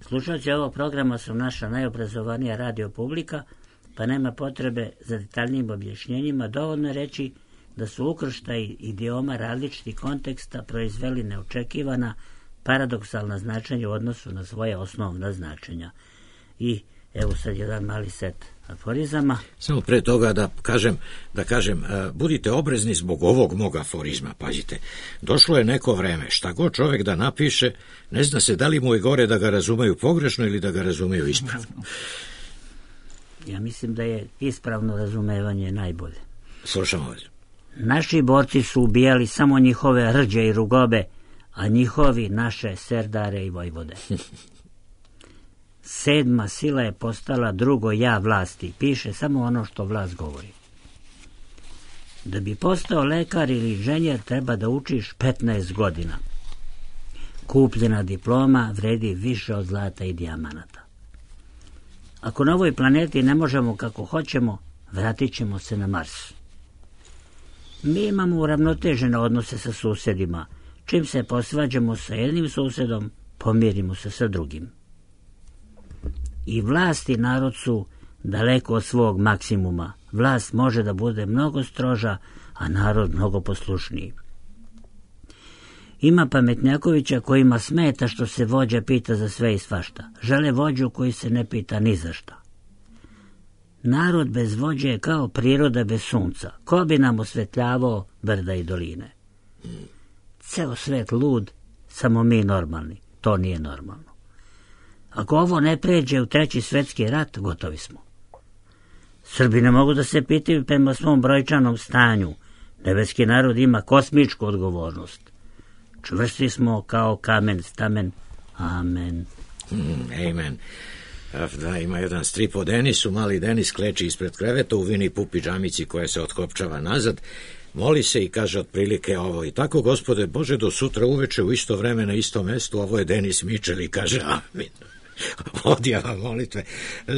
Slušalci ovog programa su naša najobrazovanija radio publika, pa nema potrebe za detaljnim objašnjenjima, dovoljno reći da su ukrštaji idioma različitih konteksta proizveli neočekivana paradoksalna značenja u odnosu na svoje osnovna značenja. I evo sad jedan mali set aforizama. Samo pre toga da kažem, da kažem, budite oprezni zbog ovog mog aforizma, pazite. Došlo je neko vreme, šta god čovjek da napiše, ne zna se da li mu je gore da ga razumeju pogrešno ili da ga razumeju ispravno. Ja mislim da je ispravno razumevanje najbolje. Slušamo vas. Naši borci su ubijali samo njihove rđe i rugobe, a njihovi naše serdare i vojvode. Sedma sila je postala drugo ja vlasti, piše samo ono što vlast govori. Da bi postao lekar ili inženjer treba da učiš petnaest godina. Kupljena diploma vredi više od zlata i dijamanata. Ako na ovoj planeti ne možemo kako hoćemo, vratit ćemo se na Mars. Mi imamo uravnotežene odnose sa susjedima. Čim se posvađamo sa jednim susjedom, pomirimo se sa drugim. I vlast i narod su daleko od svog maksimuma. Vlast može da bude mnogo stroža, a narod mnogo poslušniji. Ima pametnjakovića kojima smeta što se vođa pita za sve i svašta. Žele vođu koji se ne pita ni za šta. Narod bez vođe je kao priroda bez sunca. Ko bi nam osvetljavao brda i doline? Ceo svet lud, samo mi normalni. To nije normalno. Ako ovo ne pređe u treći svetski rat, gotovi smo. Srbi ne mogu da se pitaju prema svom brojčanom stanju. Nebeski narod ima kosmičku odgovornost. Čvrsti smo kao kamen stamen. Amen. Mm, amen. Da, ima jedan strip o Denisu, mali Denis kleči ispred kreveta u vini pupi džamici koja se otkopčava nazad, moli se i kaže otprilike ovo: i tako, Gospode Bože, do sutra uveče u isto vreme na istom mestu. Ovo je Denis Mičel i kaže amin. Odjava molitve.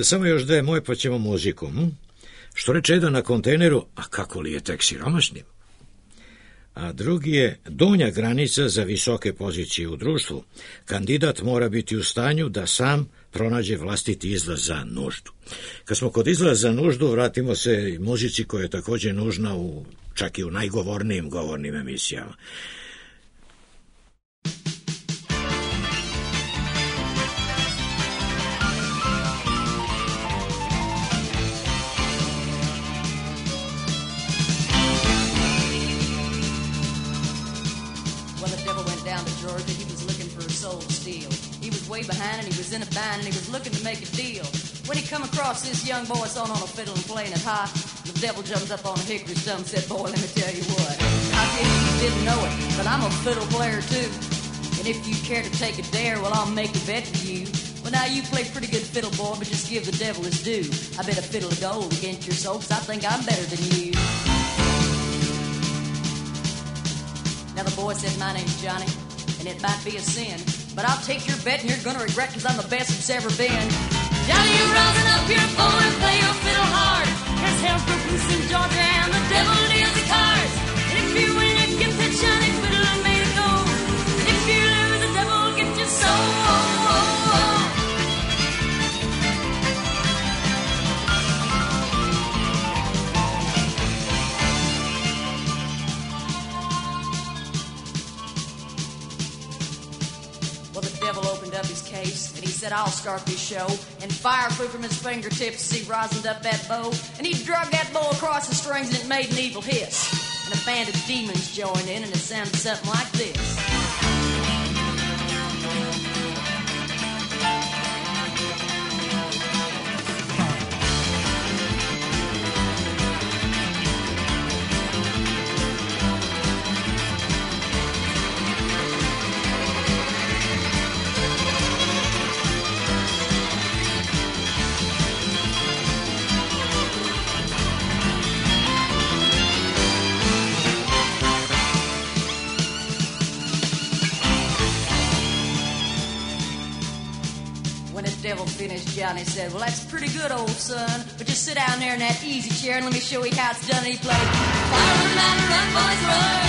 Samo još dve moje, pa ćemo muziku. Hm? Što reče jedan na kontejneru: a kako li je tek siromašnim? A drugi je: donja granica za visoke pozicije u društvu. Kandidat mora biti u stanju da sam pronađe vlastiti izlaz za nuždu. Kad smo kod izlaza za nuždu, vratimo se muzici koja je također nužna u, čak i u najgovornijim govornim emisijama. Way behind and he was in a bind and he was looking to make a deal. When he come across this young boy sawing on a fiddle and playing it high, the devil jumps up on a hickory stump and said, boy, let me tell you what, I guess you didn't know it, but I'm a fiddle player too. And if you care to take a dare, well, I'll make a bet for you. Well, now you play pretty good fiddle, boy, but just give the devil his due. I bet a fiddle of gold against your soul, 'cause I think I'm better than you. Now the boy said, my name's Johnny, and it might be a sin, but I'll take your bet and you're gonna regret, 'cause I'm the best that's ever been. Johnny, you rosin up your bow and play your fiddle hard. There's hell's broke loose in Georgia and the devil deals the cards. And if you win, you get that shiny fiddle and made it gold. And if you lose, the devil will get your soul. And he said, I'll start this show. And fire flew from his fingertips as he rosined up that bow. And he drug that bow across the strings and it made an evil hiss. And a band of demons joined in and it sounded something like this. Finished, Johnny said, well, that's pretty good, old son, but just sit down there in that easy chair and let me show you how it's done. And he played Fire on the Mountain, Run, Boys, Run.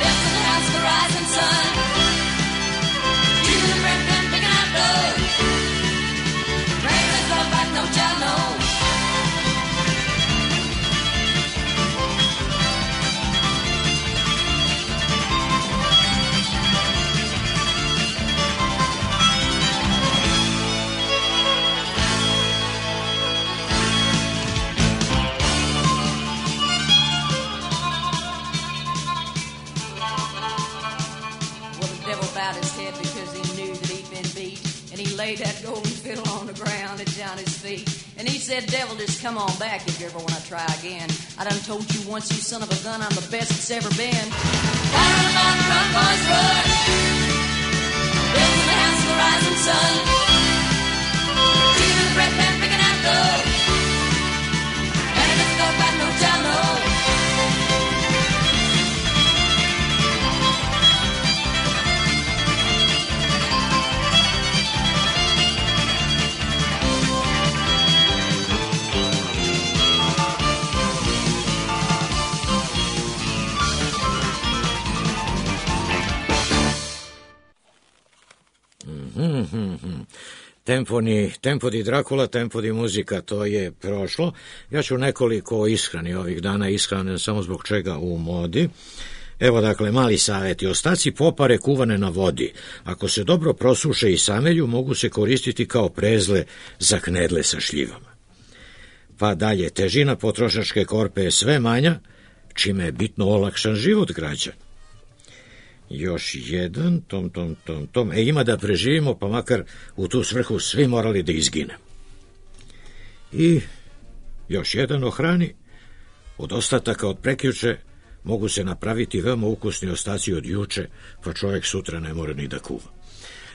Death in the House of the Rising Sun. Jesus and Brent, picking out laid that golden fiddle on the ground at Johnny's feet. And he said, devil, just come on back if you ever want to try again. I done told you once, you son of a gun, I'm the best it's ever been. Down on the mountain, run, boys, run. Building the house of the rising sun. Keeping the breath and picking out gold. And let's go back, no child, no. Mm-hmm. Tempo, ni, tempo di Dracula, tempo di muzika, to je prošlo. Ja ću nekoliko ishrani ovih dana, ishrane samo zbog čega u modi. Evo dakle, mali savjeti. Ostaci popare kuvane na vodi, ako se dobro prosuše i samelju, mogu se koristiti kao prezle za knedle sa šljivama. Pa dalje, težina potrošačke korpe je sve manja, čime je bitno olakšan život građana. Još jedan, tom, tom, tom, tom. E, ima da preživimo, pa makar u tu svrhu svi morali da izginemo. I još jedan o hrani. Od ostataka od prekjuče mogu se napraviti veoma ukusni ostaci od juče, pa čovjek sutra ne mora ni da kuva.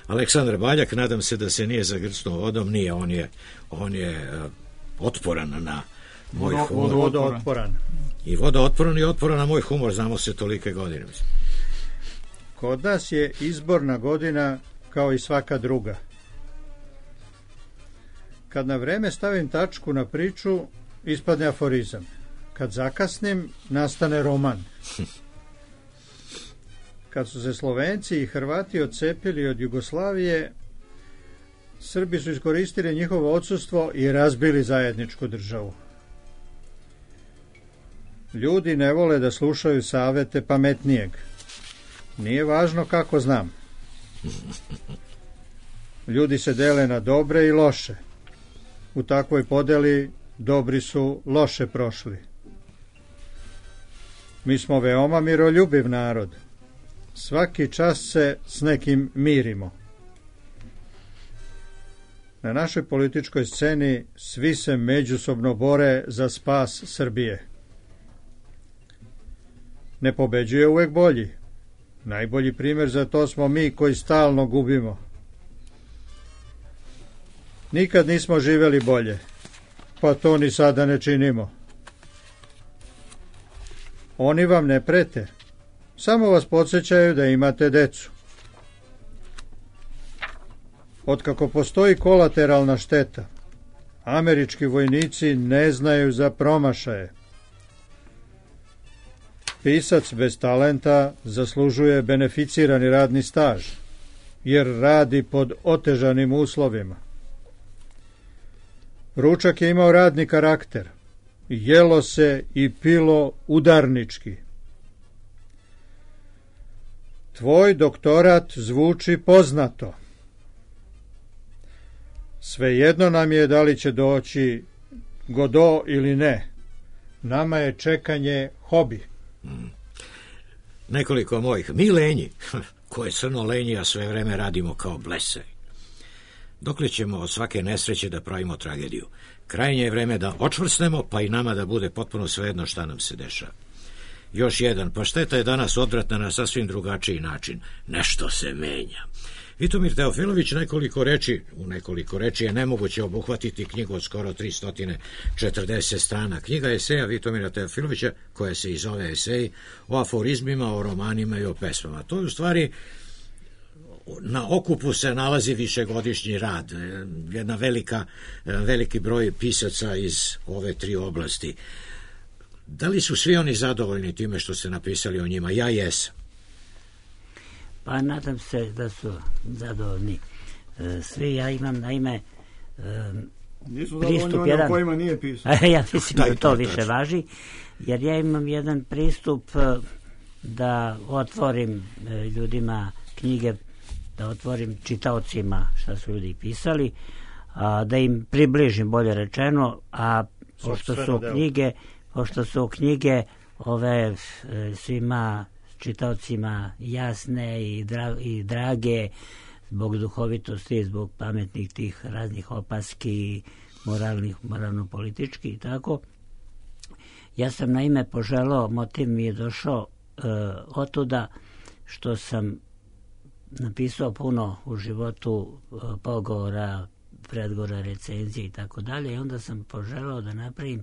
Aleksandar Baljak, nadam se da se nije zagrcnuo vodom, nije, on je, on je uh, otporan na moj Vodo, humor. vodootporan. I vodootporan i otporan na moj humor, znamo se tolike godine, mislim. Kod nas je izborna godina kao i svaka druga. Kad na vreme stavim tačku na priču, ispadne aforizam. Kad zakasnim, nastane roman. Kad su se Slovenci i Hrvati odcepili od Jugoslavije, Srbi su iskoristili njihovo odsustvo i razbili zajedničku državu. Ljudi ne vole da slušaju savete pametnijeg. Nije važno kako znam. Ljudi se dele na dobre i loše. U takvoj podeli dobri su loše prošli. Mi smo veoma miroljubiv narod. Svaki čas se s nekim mirimo. Na našoj političkoj sceni svi se međusobno bore za spas Srbije. Ne pobeđuje uvek bolji. Najbolji primjer za to smo mi koji stalno gubimo. Nikad nismo živeli bolje, pa to ni sada ne činimo. Oni vam ne prete, samo vas podsjećaju da imate decu. Otkako postoji kolateralna šteta, američki vojnici ne znaju za promašaje. Pisac bez talenta zaslužuje beneficirani radni staž, jer radi pod otežanim uslovima. Ručak je imao radni karakter, jelo se i pilo udarnički. Tvoj doktorat zvuči poznato. Svejedno nam je da li će doći Godo ili ne. Nama je čekanje hobi. Mm. Nekoliko mojih. Mi lenji, koje crno lenji, a sve vreme radimo kao blesaj. Dokle ćemo od svake nesreće da pravimo tragediju? Krajnje je vreme da očvrsnemo, pa i nama da bude potpuno svejedno šta nam se dešava. Još jedan, pa šteta je danas odvratna na sasvim drugačiji način. Nešto se menja. Vitomir Teofilović nekoliko reči, u nekoliko reči je nemoguće obuhvatiti knjigu od skoro tristo četrdeset strana. Knjiga eseja Vitomira Teofilovića, koja se i zove Eseji, o aforizmima, o romanima i o pesmama. To je u stvari, na okupu se nalazi višegodišnji rad, jedna velika, veliki broj pisaca iz ove tri oblasti. Da li su svi oni zadovoljni time što ste napisali o njima? Ja jesam. Pa nadam se da su zadovoljni svi. Ja imam naime Nisu pristup zadovoljni jedan... o kojima nije pisao. Ja mislim da to više važi, jer ja imam jedan pristup da otvorim ljudima knjige, da otvorim čitaocima šta su ljudi pisali, a, da im približim, bolje rečeno, a pošto su knjige, pošto su knjige ove svima čitaocima jasne i, dra, i drage, zbog duhovitosti, zbog pametnih tih raznih opaski, moralnih, moralno-politički i tako. Ja sam naime poželao, motiv mi je došao e, otuda što sam napisao puno u životu e, pogovora, predgovora, recenzije i tako dalje, i onda sam poželao da napravim,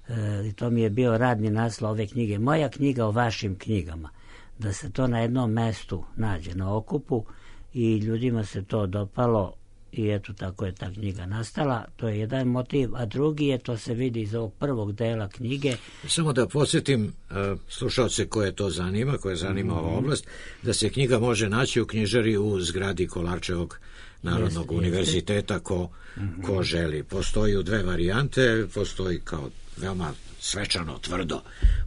e, i to mi je bio radni naslov ove knjige, moja knjiga o vašim knjigama, da se to na jednom mestu nađe, na okupu, i ljudima se to dopalo i eto tako je ta knjiga nastala. To je jedan motiv, a drugi je, to se vidi iz ovog prvog dela knjige. Samo da podsjetim uh, slušalce koje to zanima, koje zanima mm-hmm. ova oblast, da se knjiga može naći u knjižari u zgradi Kolarčevog Narodnog jeste, univerziteta jeste. Ko, mm-hmm. ko želi. Postoji u dve varijante, postoji kao veoma svečano, tvrdo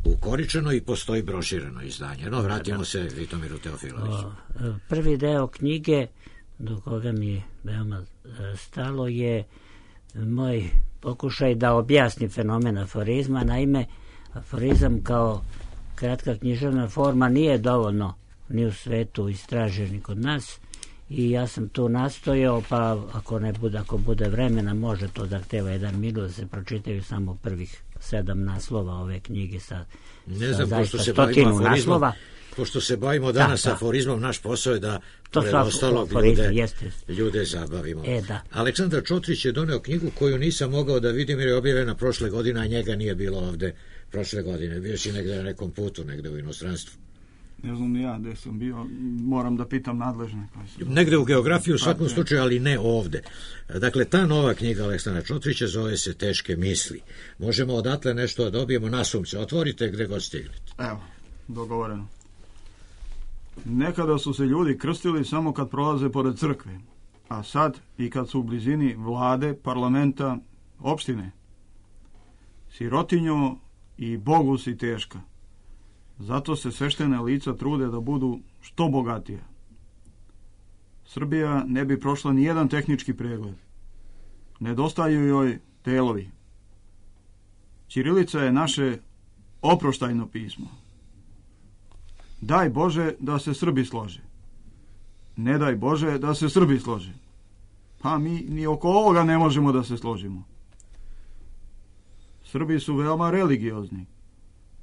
ukoričeno i postoji broširano izdanje. No, vratimo se Vitomiru Teofiloviću. Prvi deo knjige, do koga mi je veoma stalo, je moj pokušaj da objasnim fenomen aforizma. Naime, aforizam kao kratka književna forma nije dovoljno ni u svetu istražen ni kod nas, i ja sam tu nastojao, pa ako ne bude, ako bude vremena, može to zahteva jedan minut da se pročitaju samo prvih sedam naslova ove knjige sa, ne znam, sa pošto se stotinu naslova. Pošto se bavimo danas da, da. aforizmom, naš posao je da pred ostalog ljude, jeste. ljude zabavimo. E, da. Aleksandar Čotrić je doneo knjigu koju nisam mogao da vidim jer je objavljena prošle godine, a njega nije bilo ovde prošle godine. Bio si negde na nekom putu, negde u inostranstvu. Ne znam ni ja gde sam bio, moram da pitam nadležne. Negde u geografiji u svakom slučaju, ali ne ovde. Dakle, ta nova knjiga Aleksandra Čotrića zove se Teške misli. Možemo odatle nešto da dobijemo nasumce. Otvorite gde god stignete. Evo, dogovoreno. Nekada su se ljudi krstili samo kad prolaze pored crkve, a sad i kad su u blizini vlade, parlamenta, opštine. Sirotinjo i Bogu si teška. Zato se sveštene lica trude da budu što bogatije. Srbija ne bi prošla ni jedan tehnički pregled. Nedostaju joj delovi. Ćirilica je naše oproštajno pismo. Daj Bože da se Srbi slože. Ne daj Bože da se Srbi slože. Pa mi ni oko ovoga ne možemo da se složimo. Srbi su veoma religiozni.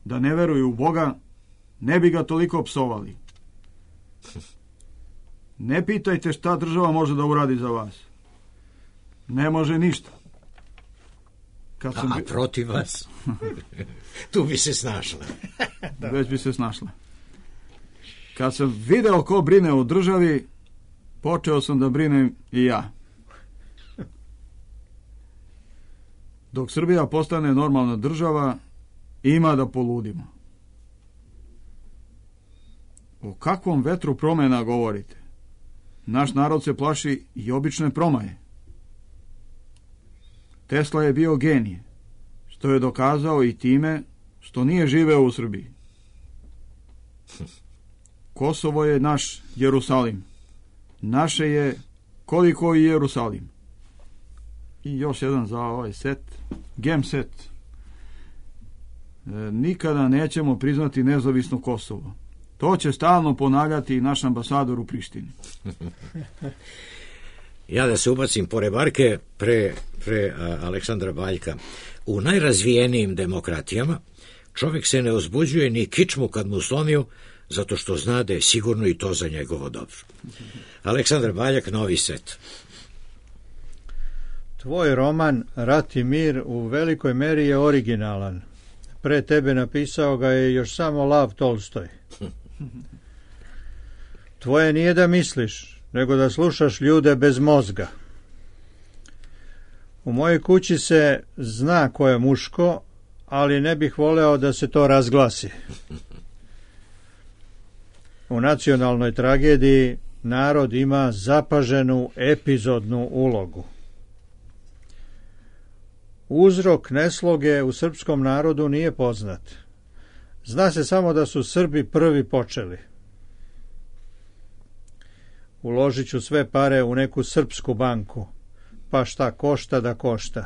Da ne veruju u Boga, ne bi ga toliko psovali. Ne pitajte šta država može da uradi za vas. Ne može ništa. Kad sam... A protiv vas? Tu bi se snašla. Da. Već bi se snašla. Kad sam video ko brine o državi, počeo sam da brinem i ja. Dok Srbija postane normalna država, ima da poludimo. O kakvom vetru promena govorite? Naš narod se plaši i obične promaje. Tesla je bio genije, što je dokazao i time što nije živeo u Srbiji. Kosovo je naš Jerusalim. Naše je koliko i Jerusalim. I još jedan za ovaj set. Gem set. E, nikada nećemo priznati nezavisno Kosovo. To će stalno ponavljati naš ambasador u Prištini. Ja da se ubacim pored barke pre, pre a, Aleksandra Baljka. U najrazvijenijim demokratijama čovjek se ne uzbuđuje ni kičmu kad mu slomiju, zato što zna da je sigurno i to za njegovo dobro. Aleksandar Baljak, novi set. Tvoj roman Rat i mir u velikoj meri je originalan. Pre tebe napisao ga je još samo Lav Tolstoj. Tvoje nije da misliš, nego da slušaš ljude bez mozga. U mojoj kući se zna ko je muško, ali ne bih voleo da se to razglasi. U nacionalnoj tragediji narod ima zapaženu epizodnu ulogu. Uzrok nesloge u srpskom narodu nije poznat. Zna se samo da su Srbi prvi počeli. Uložit ću sve pare u neku srpsku banku, pa šta košta da košta.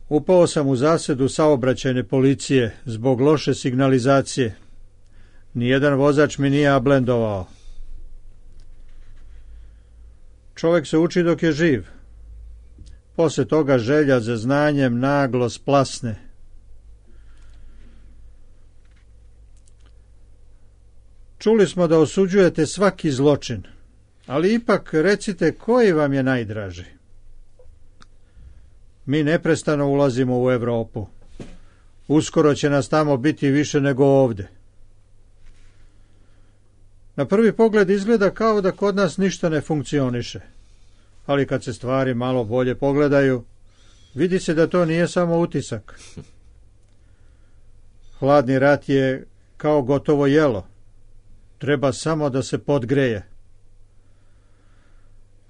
Upao sam u zasedu saobraćajne policije zbog loše signalizacije. Nijedan vozač mi nije ablendovao. Čovjek se uči dok je živ. Posle toga želja za znanjem naglo splasne. Čuli smo da osuđujete svaki zločin, ali ipak recite koji vam je najdraži. Mi neprestano ulazimo u Evropu. Uskoro će nas tamo biti više nego ovde. Na prvi pogled izgleda kao da kod nas ništa ne funkcioniše, ali kad se stvari malo bolje pogledaju, vidi se da to nije samo utisak. Hladni rat je kao gotovo jelo. Treba samo da se podgreje.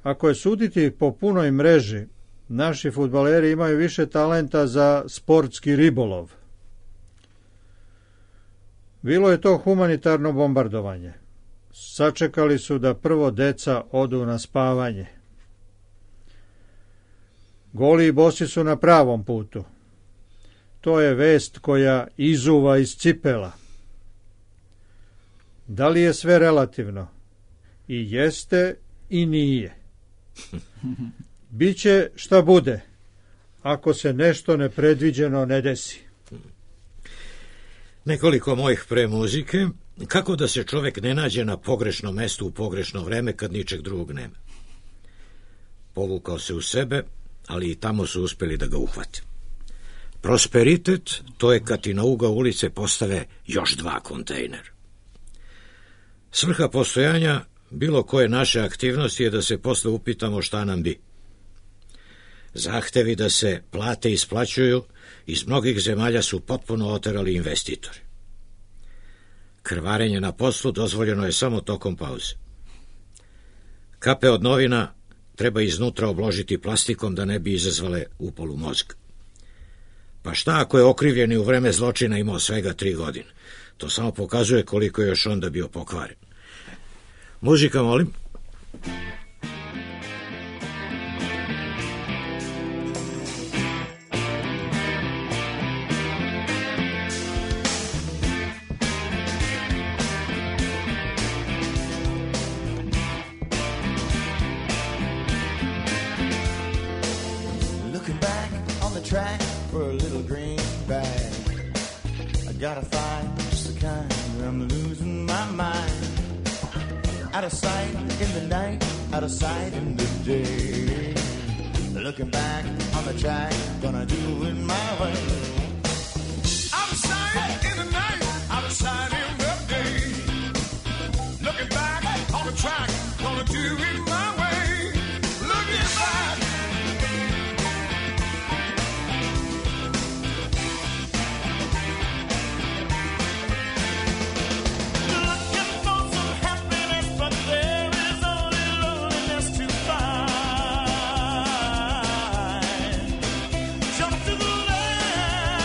Ako je suditi po punoj mreži, naši fudbaleri imaju više talenta za sportski ribolov. Bilo je to humanitarno bombardovanje. Sačekali su da prvo deca odu na spavanje. Goli i bosi su na pravom putu. To je vest koja izuva iz cipela. Da li je sve relativno? I jeste i nije. Biće šta bude, ako se nešto nepredviđeno ne desi. Nekoliko mojih pre muzike, kako da se čovjek ne nađe na pogrešnom mestu u pogrešno vreme kad ničeg drugog nema. Povukao se u sebe, ali i tamo su uspjeli da ga uhvate. Prosperitet, to je kad ti na ugao ulice postave još dva kontejnera. Svrha postojanja bilo koje naše aktivnosti je da se posle upitamo šta nam bi. Zahtevi da se plate isplaćuju iz mnogih zemalja su potpuno oterali investitori. Krvarenje na poslu dozvoljeno je samo tokom pauze. Kape od novina treba iznutra obložiti plastikom da ne bi izazvale upalu mozga. Pa šta ako je okrivljeni u vreme zločina imao svega tri godine? To samo pokazuje koliko je još onda bio pokvaren. Muzika, molim. Looking back on the track for a little green bag. I gotta find just the kind where I'm losing my mind. Out of sight in the night, out of sight in the day. Looking back on the track, gonna do it my way. Out of sight in the night, out of sight in the day. Looking back on the track, gonna do it my way. Looking back. Jump to the left.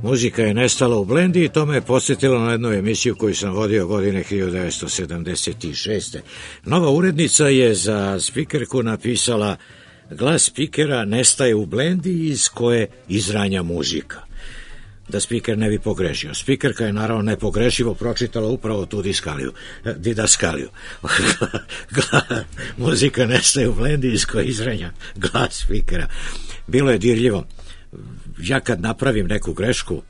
Muzika je nestala u blendi i to me je podsjetilo na jednu emisiju koju sam vodio godine hiljadu devetsto sedamdeset šeste. Nova urednica je za spikerku napisala: glas spikera nestaje u blendi iz koje izranja muzika. Da spiker ne bi pogrešio. Spikerka je naravno nepogrešivo pročitala upravo tu diskaliju, didaskaliju. Muzika nestaje u blendi iz koje izranja glas spikera. Bilo je dirljivo. Ja kad napravim neku grešku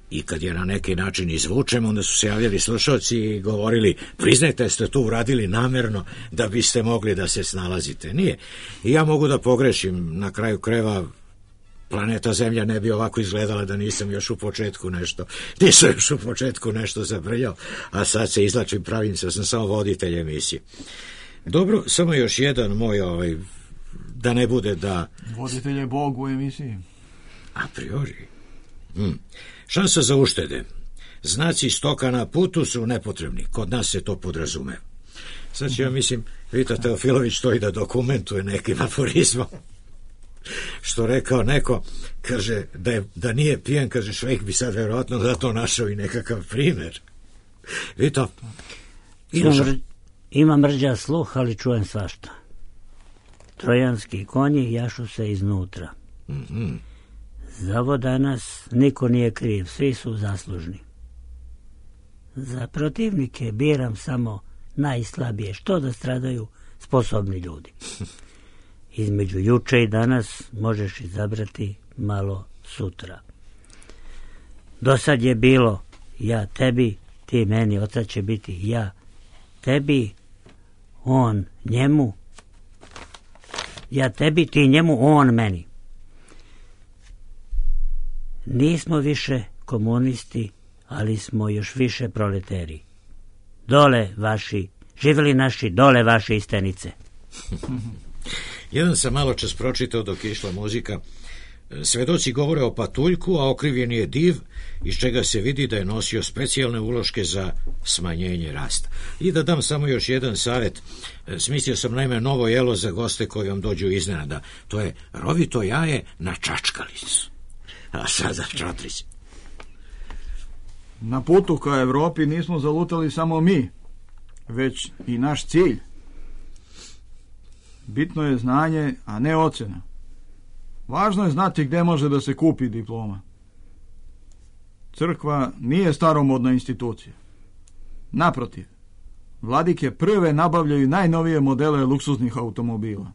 i kad je na neki način izvučem, onda su se javljali slušalci i govorili: priznajte, ste to uradili namerno da biste mogli da se snalazite. Nije. I ja mogu da pogrešim. Na kraju krajeva planeta Zemlja ne bi ovako izgledala da nisam još u početku nešto nisam još u početku nešto zabrljao, a sad se izlačim, pravim se, sam samo voditelj emisije. Dobro, samo još jedan moj, ovaj, da ne bude da... Voditelj je Bog u emisiji. A priori. Hmm. Šansa za uštede. Znaci stoka na putu su nepotrebni. Kod nas se to podrazume. Sad će, ja mislim, Vita Teofilović to i da dokumentuje nekim aforizmom. Što rekao neko, kaže, da, je, da nije pijan, kaže, Švejk bi sad verovatno za to našao i nekakav primjer. Vito? Ima, mr, ima mrđa sluh, ali čujem svašta. Trojanski konji jašu se iznutra. Mm-hmm. Za ovo danas niko nije kriv, svi su zaslužni. Za protivnike biram samo najslabije, što da stradaju sposobni ljudi. Između juče i danas možeš izabrati malo sutra. Do sad je bilo ja tebi, ti meni, od sad će biti ja tebi, on njemu, ja tebi, ti njemu, on meni. Nismo više komunisti, ali smo još više proleteri. Dole vaši, živjeli naši, dole vaše istenice. Jedan sam malo čas pročitao dok je išla muzika. Svedoci govore o patuljku, a okrivljen je div, iz čega se vidi da je nosio specijalne uloške za smanjenje rasta. I da dam samo još jedan savjet. Smislio sam naime novo jelo za goste koji vam dođu iznenada. To je rovito jaje na čačkalicu. A sada Čotrić. Na putu ka Evropi nismo zalutali samo mi, već i naš cilj. Bitno je znanje, a ne ocena. Važno je znati gde može da se kupi diploma. Crkva nije staromodna institucija. Naprotiv, vladike prve nabavljaju najnovije modele luksuznih automobila.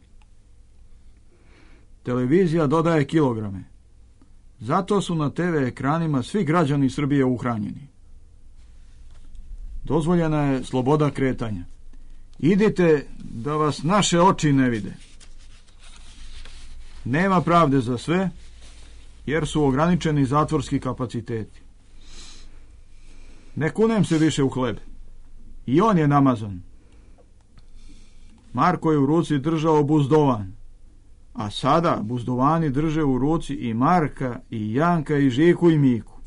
Televizija dodaje kilograme. Zato su na te ve ekranima svi građani Srbije uhranjeni. Dozvoljena je sloboda kretanja. Idite da vas naše oči ne vide. Nema pravde za sve, jer su ograničeni zatvorski kapaciteti. Ne kunem se više u hleb. I on je namazan. Marko je u ruci držao buzdovan, a sada buzdovani drže u ruci i Marka, i Janka, i Žiku, i Miku.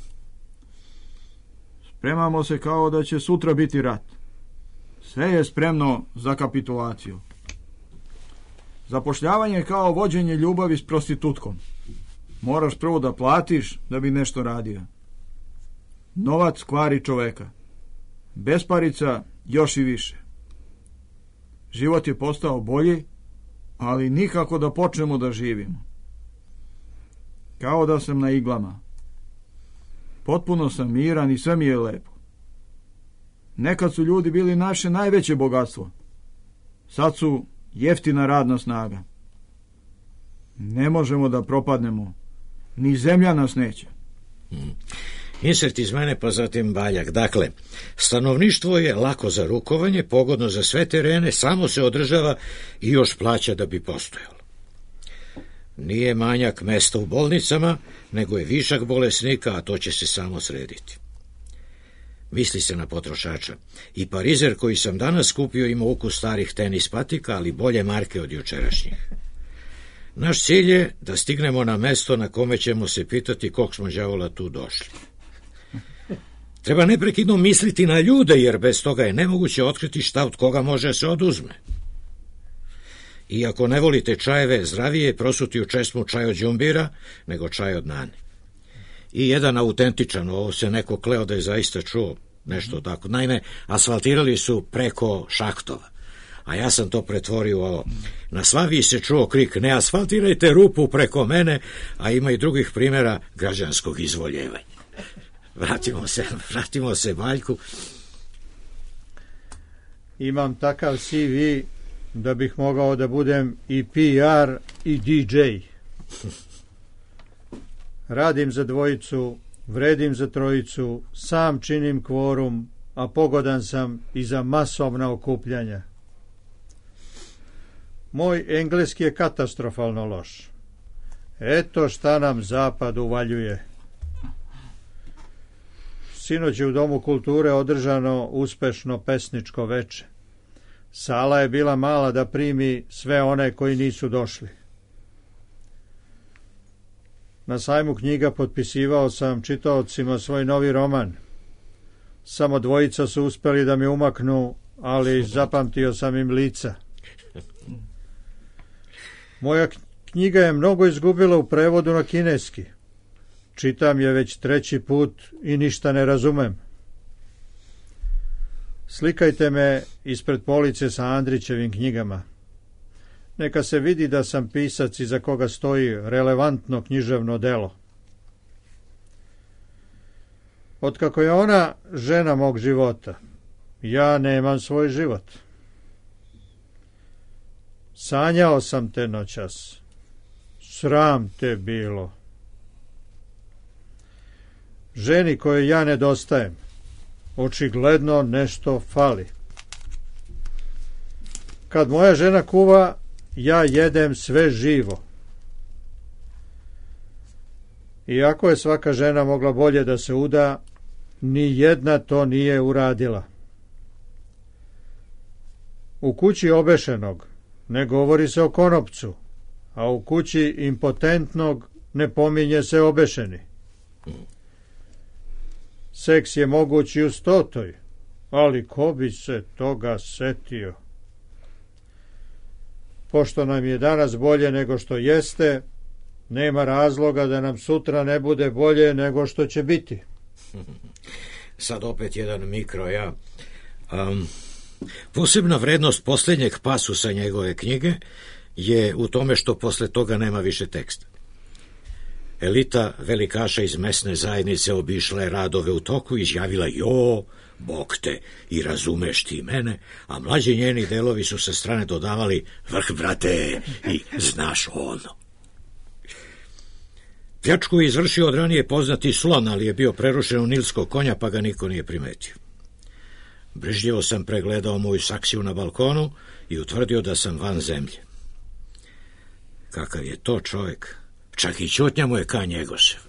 Spremamo se kao da će sutra biti rat. Sve je spremno za kapitulaciju. Zapošljavanje je kao vođenje ljubavi s prostitutkom. Moraš prvo da platiš da bi nešto radio. Novac kvari čoveka. Besparica još i više. Život je postao bolji, ali nikako da počnemo da živimo. Kao da sam na iglama. Potpuno sam miran i sve mi je lepo. Nekad su ljudi bili naše najveće bogatstvo. Sad su jeftina radna snaga. Ne možemo da propadnemo. Ni zemlja nas neće. Hmm. Insert iz mene, pa zatim Baljak. Dakle, stanovništvo je lako za rukovanje, pogodno za sve terene, samo se održava i još plaća da bi postojalo. Nije manjak mesta u bolnicama, nego je višak bolesnika, a to će se samo srediti. Misli se na potrošača. I parizer koji sam danas kupio ima ukus starih tenis patika, ali bolje marke od jučerašnjih. Naš cilj je da stignemo na mesto na kome ćemo se pitati kog smo đavola tu došli. Treba neprekidno misliti na ljude, jer bez toga je nemoguće otkriti šta od koga može se oduzme. I ako ne volite čajeve, zdravije je prosuti u česmu čaj od đumbira nego čaj od nane. i jedan autentičan, ovo se neko kleo da je zaista čuo nešto tako. Naime, asfaltirali su preko šahtova, a ja sam to pretvorio ovo. Na Slaviji se čuo krik, ne asfaltirajte rupu preko mene, a ima i drugih primjera građanskog izvoljevanja. Vratimo se, vratimo se Valjku. Imam takav C V da bih mogao da budem i P R i D J. Radim za dvojicu, vredim za trojicu, sam činim kvorum, a pogodan sam i za masovna okupljanja. Moj engleski je katastrofalno loš. Eto šta nam zapad uvaljuje. Sinoć je u Domu kulture održano uspešno pesničko veče. Sala je bila mala da primi sve one koji nisu došli. Na sajmu knjiga potpisivao sam čitaocima svoj novi roman. Samo dvojica su uspeli da mi umaknu, ali zapamtio sam im lica. Moja knjiga je mnogo izgubila u prevodu na kineski. Čitam je već treći put i ništa ne razumem. Slikajte me ispred police sa Andrićevim knjigama. Neka se vidi da sam pisac iza koga stoji relevantno književno delo. Otkako je ona žena mog života, ja nemam svoj život. Sanjao sam te noćas. Sram te bilo. Ženi kojoj ja nedostajem, očigledno nešto fali. Kad moja žena kuva, ja jedem sve živo. Iako je svaka žena mogla bolje da se uda, ni jedna to nije uradila. U kući obešenog ne govori se o konopcu, a u kući impotentnog ne pominje se obešeni. Seks je moguć i u stotoj, ali ko bi se toga setio? Pošto nam je danas bolje nego što jeste, nema razloga da nam sutra ne bude bolje nego što će biti. Sad opet jedan mikro, ja. Um, posebna vrednost posljednjeg pasusa njegove knjige je u tome što posle toga nema više teksta. Elita velikaša iz mesne zajednice obišla je radove u toku i izjavila, jo, Bog te, i razumeš ti mene, a mlađi njeni delovi su sa strane dodavali, vrh, brate, i znaš ono. Pljačku je izvršio od ranije poznati slon, ali je bio prerušen u nilskog konja, pa ga niko nije primetio. Brižljivo sam pregledao moju saksiju na balkonu i utvrdio da sam van zemlje. Kakav je to čovjek? Čak i ćutnja mu je ka Njegošev.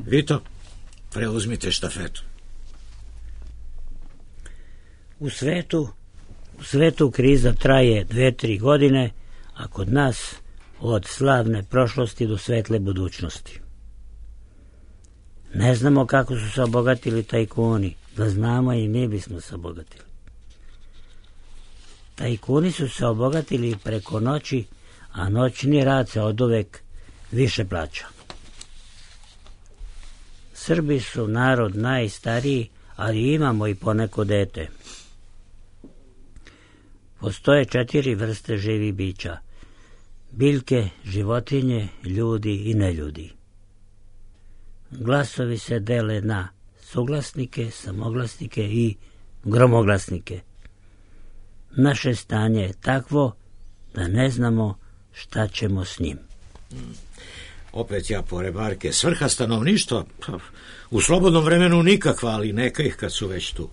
Vito, preuzmite štafetu. U svetu, u svetu kriza traje dve, tri godine, a kod nas od slavne prošlosti do svetle budućnosti. Ne znamo kako su se obogatili tajkuni, da znamo i mi bismo se obogatili. Tajkuni su se obogatili preko noći, a noćni rad se oduvek više plaća. Srbi su narod najstariji, ali imamo i poneko dete. Postoje četiri vrste živih bića: biljke, životinje, ljudi i neljudi. Glasovi se dele na suglasnike, samoglasnike i gromoglasnike. Naše stanje je takvo da ne znamo šta ćemo s njim. Hmm. Opet ja po rebarke. Svrha stanovništva? U slobodnom vremenu nikakva, ali neka ih kad su već tu.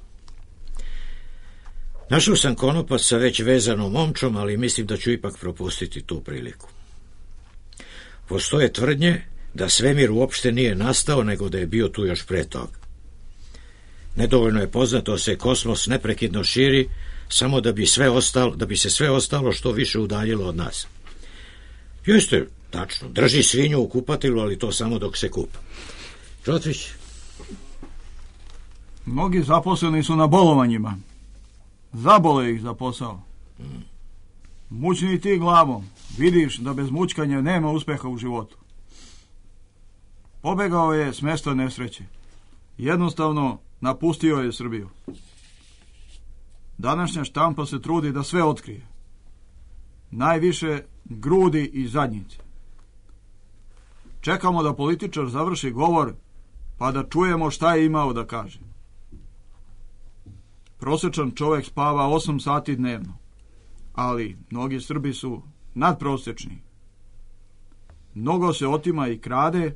Našao sam konopac sa već vezanom omčom, ali mislim da ću ipak propustiti tu priliku. Postoje tvrdnje da svemir uopšte nije nastao, nego da je bio tu još pre toga. Nedovoljno je poznato da se kosmos neprekidno širi, samo da bi, sve ostalo, da bi se sve ostalo što više udaljilo od nas. Jeste, tačno, drži svinju u kupatilu, ali to samo dok se kupa. Čotrić? Mnogi zaposleni su na bolovanjima. Zabole ih za posao. Hmm. Mučni ti glavom. Vidiš da bez mučkanja nema uspeha u životu. Pobegao je s mesta nesreće. Jednostavno napustio je Srbiju. Današnja štampa se trudi da sve otkrije. Najviše grudi i zadnjice. Čekamo da političar završi govor, pa da čujemo šta je imao da kaže. Prosječan čovjek spava osam sati dnevno, ali mnogi Srbi su nadprosječni. Mnogo se otima i krade,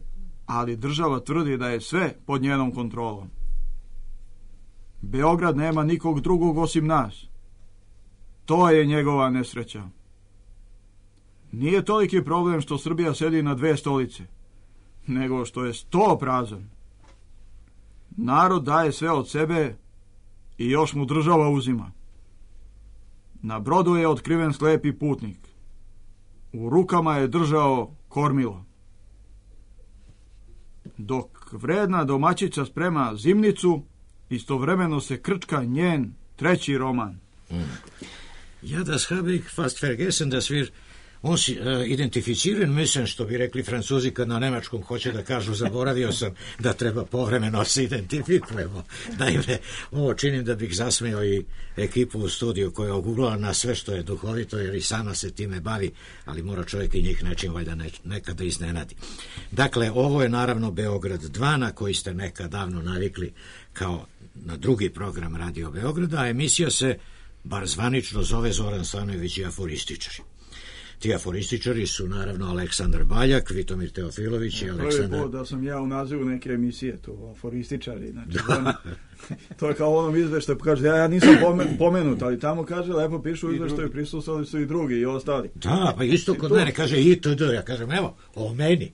ali država tvrdi da je sve pod njenom kontrolom. Beograd nema nikog drugog osim nas. To je njegova nesreća. Nije toliki problem što Srbija sedi na dve stolice, nego što je sto prazan. Narod daje sve od sebe i još mu država uzima. Na brodu je otkriven slepi putnik. U rukama je držao kormilo. Dok vredna domaćica sprema zimnicu, istovremeno se krčka njen treći roman. Mm. Ja, das habe ich fast vergessen, dass wir uns uh, identificieren müssen, što bi rekli Francuzi kad na nemačkom hoće da kažu, zaboravio sam da treba povremeno se identifikujemo. Naime, ovo činim da bih zasmeo i ekipu u studiju koja oguglala na sve što je duhovito, jer i sama se time bavi, ali mora čovjek i njih nečim valjda ne, nekada iznenadi. Dakle, ovo je naravno Beograd dva, na koji ste nekad davno navikli kao na drugi program Radio Beograda, a emisija se, bar zvanično, zove Zoran Stanojević i aforističari. Ti aforističari su naravno Aleksandar Baljak, Vitomir Teofilović i Aleksandar... Prvi put da sam ja u nazivu neke emisije, to aforističari. Znači, on, to je kao onom izveštaju, kaže, ja, ja nisam pomenut, ali tamo kaže, lepo pišu u izveštaju, prisustvovali su i drugi i ostali. Da, pa isto kod mene kaže itd. Ja kažem, evo, o meni.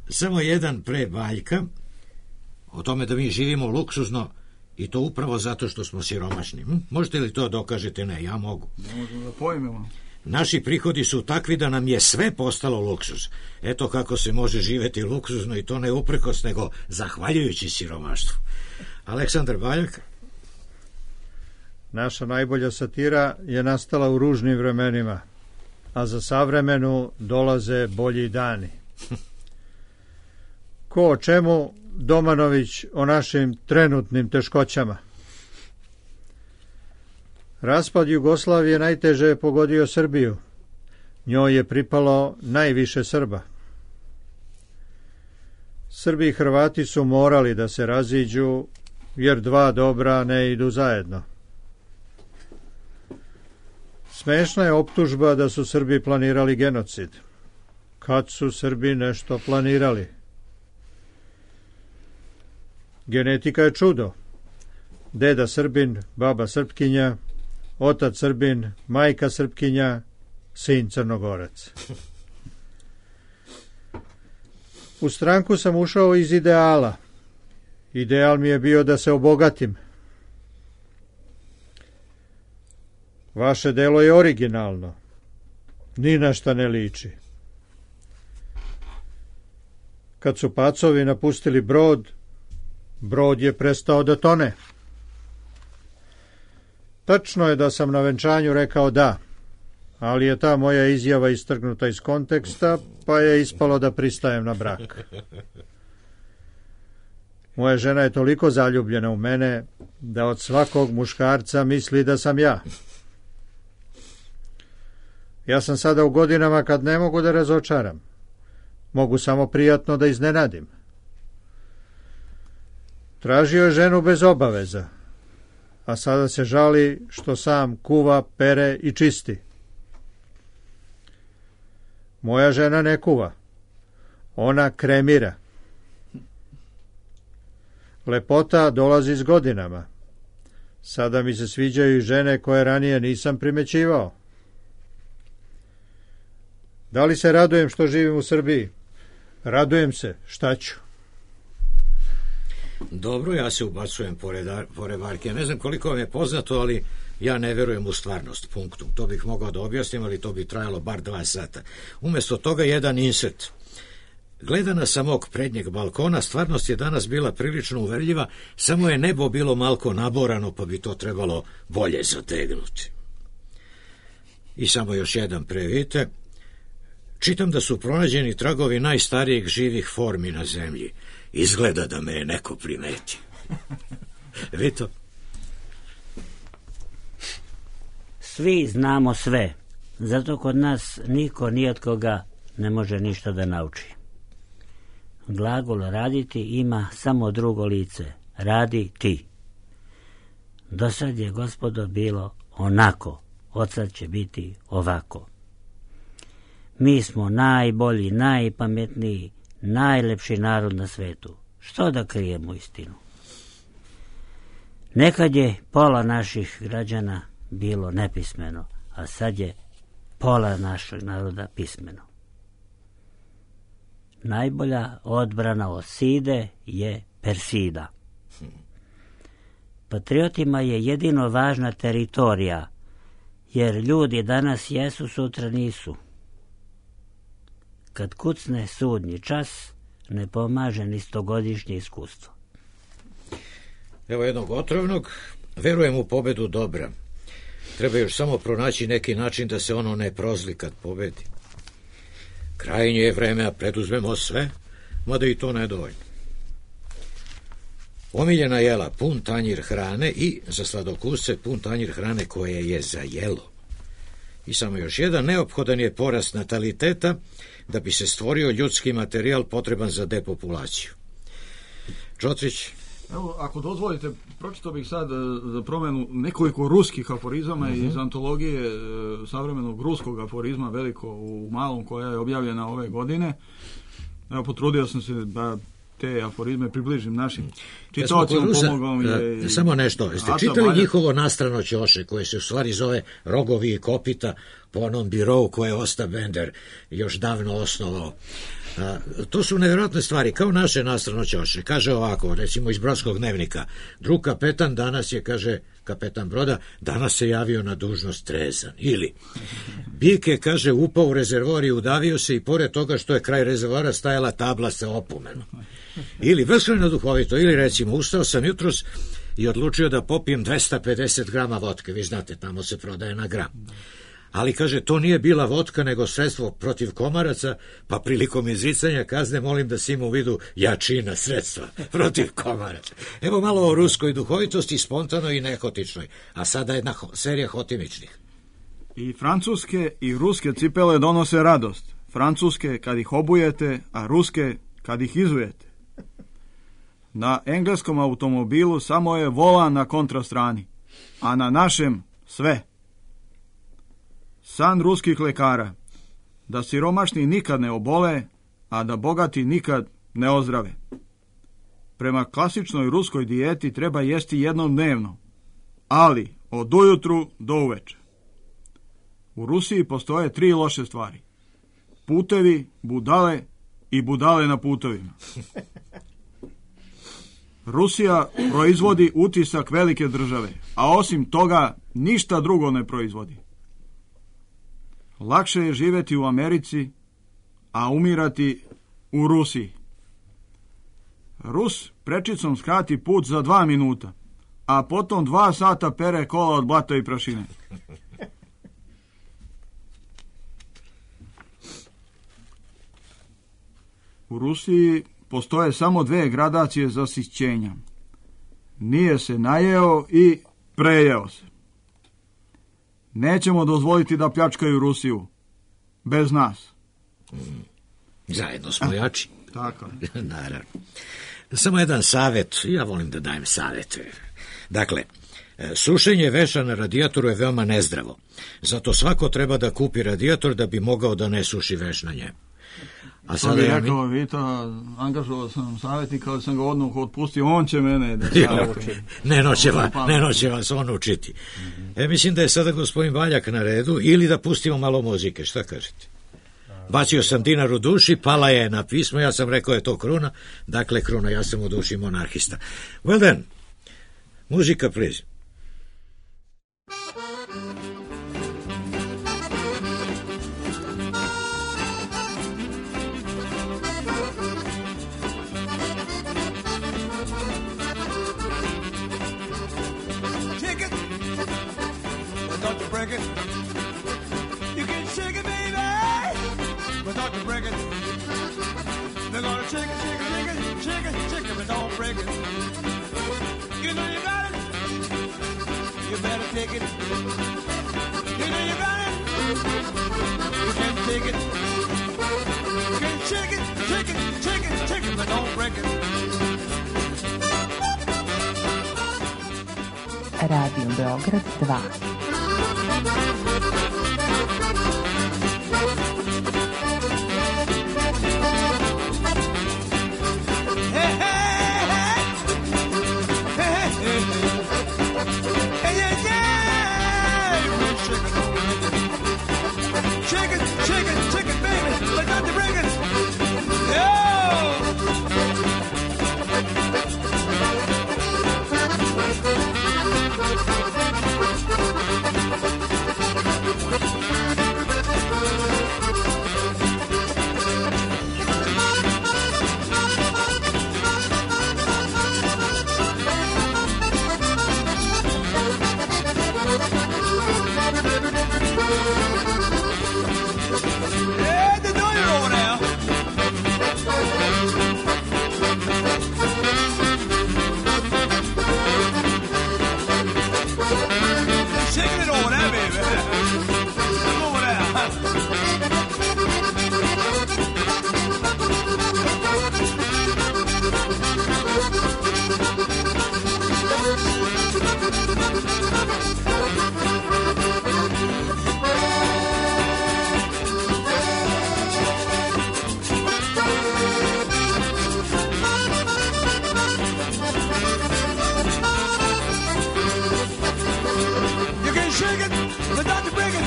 Samo jedan pre Baljka, o tome da mi živimo luksuzno, i to upravo zato što smo siromašni. Hm? Možete li to dokažete? Ne, ja mogu. Ne možemo da pojmemo. Naši prihodi su takvi da nam je sve postalo luksuz. Eto kako se može živeti luksuzno, i to ne uprkos, nego zahvaljujući siromaštvu. Aleksandar Baljak. Naša najbolja satira je nastala u ružnim vremenima, a za savremenu dolaze bolji dani. Ko o čemu, Domanović o našim trenutnim teškoćama. Raspad Jugoslavije najteže je pogodio Srbiju. Njoj je pripalo najviše Srba. Srbi i Hrvati su morali da se raziđu, jer dva dobra ne idu zajedno. Smešna je optužba da su Srbi planirali genocid. Kad su Srbi nešto planirali? Genetika je čudo. Deda Srbin, baba Srpkinja, otac Srbin, majka Srpkinja, sin Crnogorac. U stranku sam ušao iz ideala. Ideal mi je bio da se obogatim. Vaše delo je originalno. Ni na šta ne liči. Kad su pacovi napustili brod, brod je prestao da tone. Tačno je da sam na venčanju rekao da, ali je ta moja izjava istrgnuta iz konteksta, pa je ispalo da pristajem na brak. Moja žena je toliko zaljubljena u mene da od svakog muškarca misli da sam ja. Ja sam sada u godinama kad ne mogu da razočaram. Mogu samo prijatno da iznenadim. Tražio je ženu bez obaveza, a sada se žali što sam kuva, pere i čisti. Moja žena ne kuva. Ona kremira. Lepota dolazi s godinama. Sada mi se sviđaju i žene koje ranije nisam primećivao. Da li se radujem što živim u Srbiji? Radujem se, šta ću? Dobro, ja se ubacujem pored, pored Varke. Ne znam koliko vam je poznato, ali ja ne verujem u stvarnost, punktum. To bih mogao da objasnim, ali to bi trajalo bar dva sata. Umjesto toga jedan insert. Gledana sa mog prednjeg balkona, stvarnost je danas bila prilično uverljiva, samo je nebo bilo malko naborano, pa bi to trebalo bolje zategnuti. I samo još jedan previte. Čitam da su pronađeni tragovi najstarijih živih formi na zemlji. Izgleda da me je neko primetio. Vito? Svi znamo sve, zato kod nas niko ni od koga ne može ništa da nauči. Glagol raditi ima samo drugo lice, radi ti. Do sad je, gospodo, bilo onako, od sad će biti ovako. Mi smo najbolji, najpametniji, najlepši narod na svetu. Što da krijemo istinu? Nekad je pola naših građana bilo nepismeno, a sad je pola našeg naroda pismeno. Najbolja odbrana od side je persida. Patriotima je jedino važna teritorija, jer ljudi danas jesu, sutra nisu. Kad kucne sudnji čas, ne pomaže ni stogodišnje iskustvo. Evo jednog otrovnog, verujem u pobedu dobra. Treba još samo pronaći neki način da se ono ne prozli kad pobedi. Krajnje je vreme, a preduzmemo sve, mada i to nedovoljno. Omiljena jela, pun tanjir hrane i za sladokusce pun tanjir hrane koje je za jelo. I samo još jedan, neophodan je porast nataliteta da bi se stvorio ljudski materijal potreban za depopulaciju. Čotrić? Evo, ako dozvolite, pročitao bih sad za promenu nekoliko ruskih aforizama uh-huh. iz antologije e, savremenog ruskog aforizma Veliko u malom, koja je objavljena ove godine. Evo, potrudio sam se da te aforizme približim našim čitaocima, pomogao mi je... I... Samo nešto, jeste čitali Balja? Njihovo nastrano ćoše, koje se u stvari zove Rogovi i kopita, po onom birovu koje je Osta Bender još davno osnovao. A, to su nevjerojatne stvari, kao naše nastrano ćoše. Kaže ovako, recimo iz Brodskog dnevnika, drug kapetan danas je, kaže kapetan broda, danas se javio na dužnost trezan. Ili, Bik je, kaže, upao u rezervoar i udavio se i pored toga što je kraj rezervoara stajala tabla sa opomenom. Ili, beskrajno duhovito, ili recimo, ustao sam jutros i odlučio da popijem dvesta pedeset grama vodke, vi znate, tamo se prodaje na gram. Ali, kaže, to nije bila vodka, nego sredstvo protiv komaraca, pa prilikom izricanja kazne molim da si ima u vidu jačina sredstva protiv komaraca. Evo malo o ruskoj duhovitosti, spontanoj i nehotičnoj, a sada jedna ho- serija hotimičnih. I francuske i ruske cipele donose radost. Francuske kad ih obujete, a ruske kad ih izujete. Na engleskom automobilu samo je volan na kontrastrani, a na našem sve. San ruskih lekara, da siromašni nikad ne obole, a da bogati nikad ne ozdrave. Prema klasičnoj ruskoj dijeti treba jesti jednom dnevno, ali od ujutru do uveče. U Rusiji postoje tri loše stvari: putevi, budale i budale na putovima. Rusija proizvodi utisak velike države, a osim toga ništa drugo ne proizvodi. Lakše je živjeti u Americi, a umirati u Rusiji. Rus prečicom skrati put za dva minuta, a potom dva sata pere kola od blata i prašine. U Rusiji postoje samo dve gradacije zasićenja. Nije se najeo i prejeo se. Nećemo dozvoliti da pljačkaju Rusiju. Bez nas. Zajedno smo jači. Tako. Naravno. Samo jedan savjet. Ja volim da dajem savjete. Dakle, sušenje veša na radijatoru je veoma nezdravo. Zato svako treba da kupi radijator da bi mogao da ne suši veš na njemu. A sada to bi ja rekao, mi... Vita, angažovao sam savjetnika, ali sam ga odmah otpustio, on će mene da savjeti. Ne noće, va, ne noće vas on učiti. Mm-hmm. E, mislim da je sada gospodin Valjak na redu, ili da pustimo malo muzike, šta kažete? Bacio sam dinar u duši, pala je na pismo, ja sam rekao je to kruna, dakle kruna, ja sam u duši monarhista. Well then, muzika please. break it. You know you got it. You better take it. You know you got it. You can't take it. You can shake it, shake it, shake it, shake it, but don't break it. Radio Beograd dva. Shake it, shake it, shake it, baby, but not to break it. Yo! Yeah, they know you're over there. Shaking it over there, baby. Come over there. You can shake it, but don't you break it.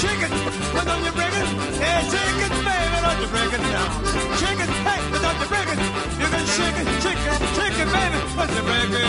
Shake it, but don't you break it. Yeah, shake it, baby, don't you break it now. Shake it, hey, but don't you break it. You can shake it, shake it, shake it, baby, but you break it.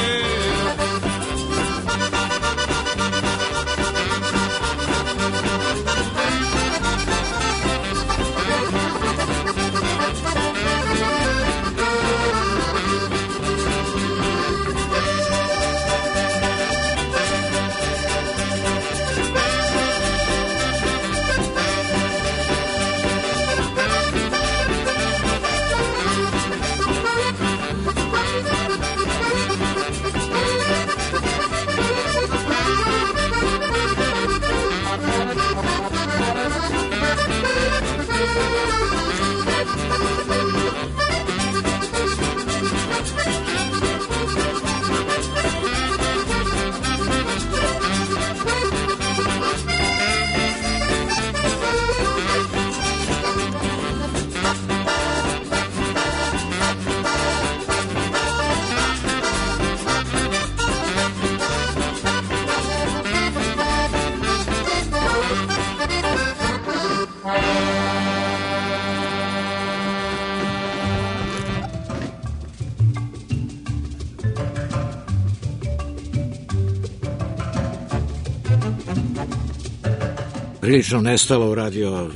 Prilično nestalo u radio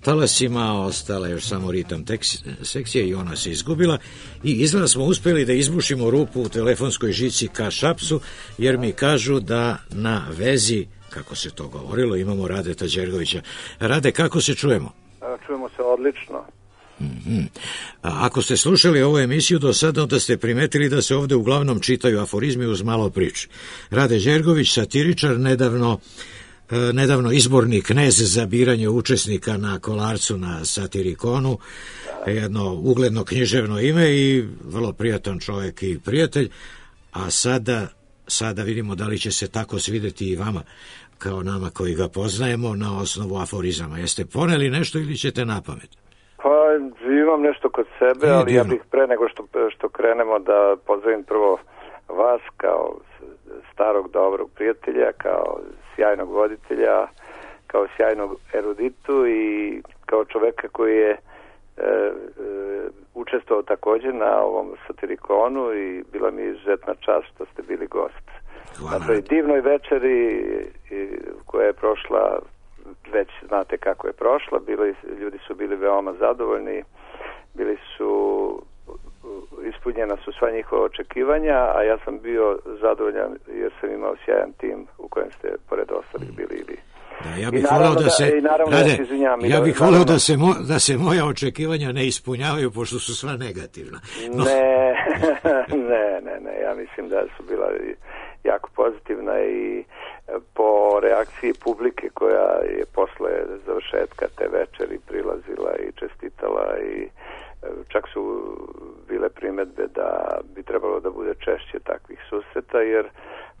talasima, ostala još samo ritam sekcije i ona se izgubila i izgleda smo uspjeli da izbušimo rupu u telefonskoj žici ka Šapcu, jer mi kažu da na vezi, kako se to govorilo, imamo Radeta Đergovića. Rade, kako se čujemo? Čujemo se odlično. Mm-hmm. A ako ste slušali ovu emisiju do sada, onda ste primetili da se ovde uglavnom čitaju aforizmi uz malo priče. Rade Đergović, satiričar, nedavno nedavno izborni knez za biranje učesnika na Kolarcu na Satirikonu, jedno ugledno književno ime i vrlo prijatan čovjek i prijatelj, a sada, sada vidimo da li će se tako svideti i vama kao nama koji ga poznajemo na osnovu aforizama. Jeste poneli nešto ili ćete na pamet? Pa imam nešto kod sebe, e, ali divno. Ja bih pre nego što, što krenemo da pozdravim prvo vas kao starog dobrog prijatelja, kao sjajnog voditelja, kao sjajnog eruditu i kao čoveka koji je e, e, učestvovao također na ovom Satirikonu i bila mi izuzetna čast što ste bili gost. Hvala. Na toj divnoj večeri i, koja je prošla, već znate kako je prošla, bili, ljudi su bili veoma zadovoljni, bili su ispunjena su sva njihova očekivanja, a ja sam bio zadovoljan jer sam imao sjajan tim u kojem ste pored ostalih bili i vi. Da, ja bih voleo da, da se, i naravno rade, ja se izvinjam, ja bih da, voleo da se, mo, da se moja očekivanja ne ispunjavaju, pošto su sva negativna. No. Ne, ne, ne, ne, ja mislim da su bila jako pozitivna i po reakciji publike koja je posle završetka te večeri prilazila i čestitala i čak su bile primedbe da bi trebalo da bude češće takvih susreta, jer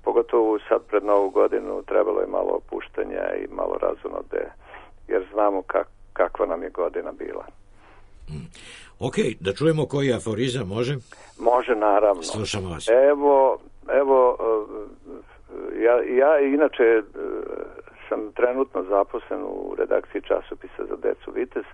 pogotovo sad pred Novu godinu trebalo je malo opuštanja i malo razonode, jer znamo kak, kakva nam je godina bila. Mm. Ok, da čujemo koji aforizam, može? Može, naravno. Slušamo vas. Evo, evo ja, ja inače sam trenutno zaposlen u redakciji časopisa za decu Vitez,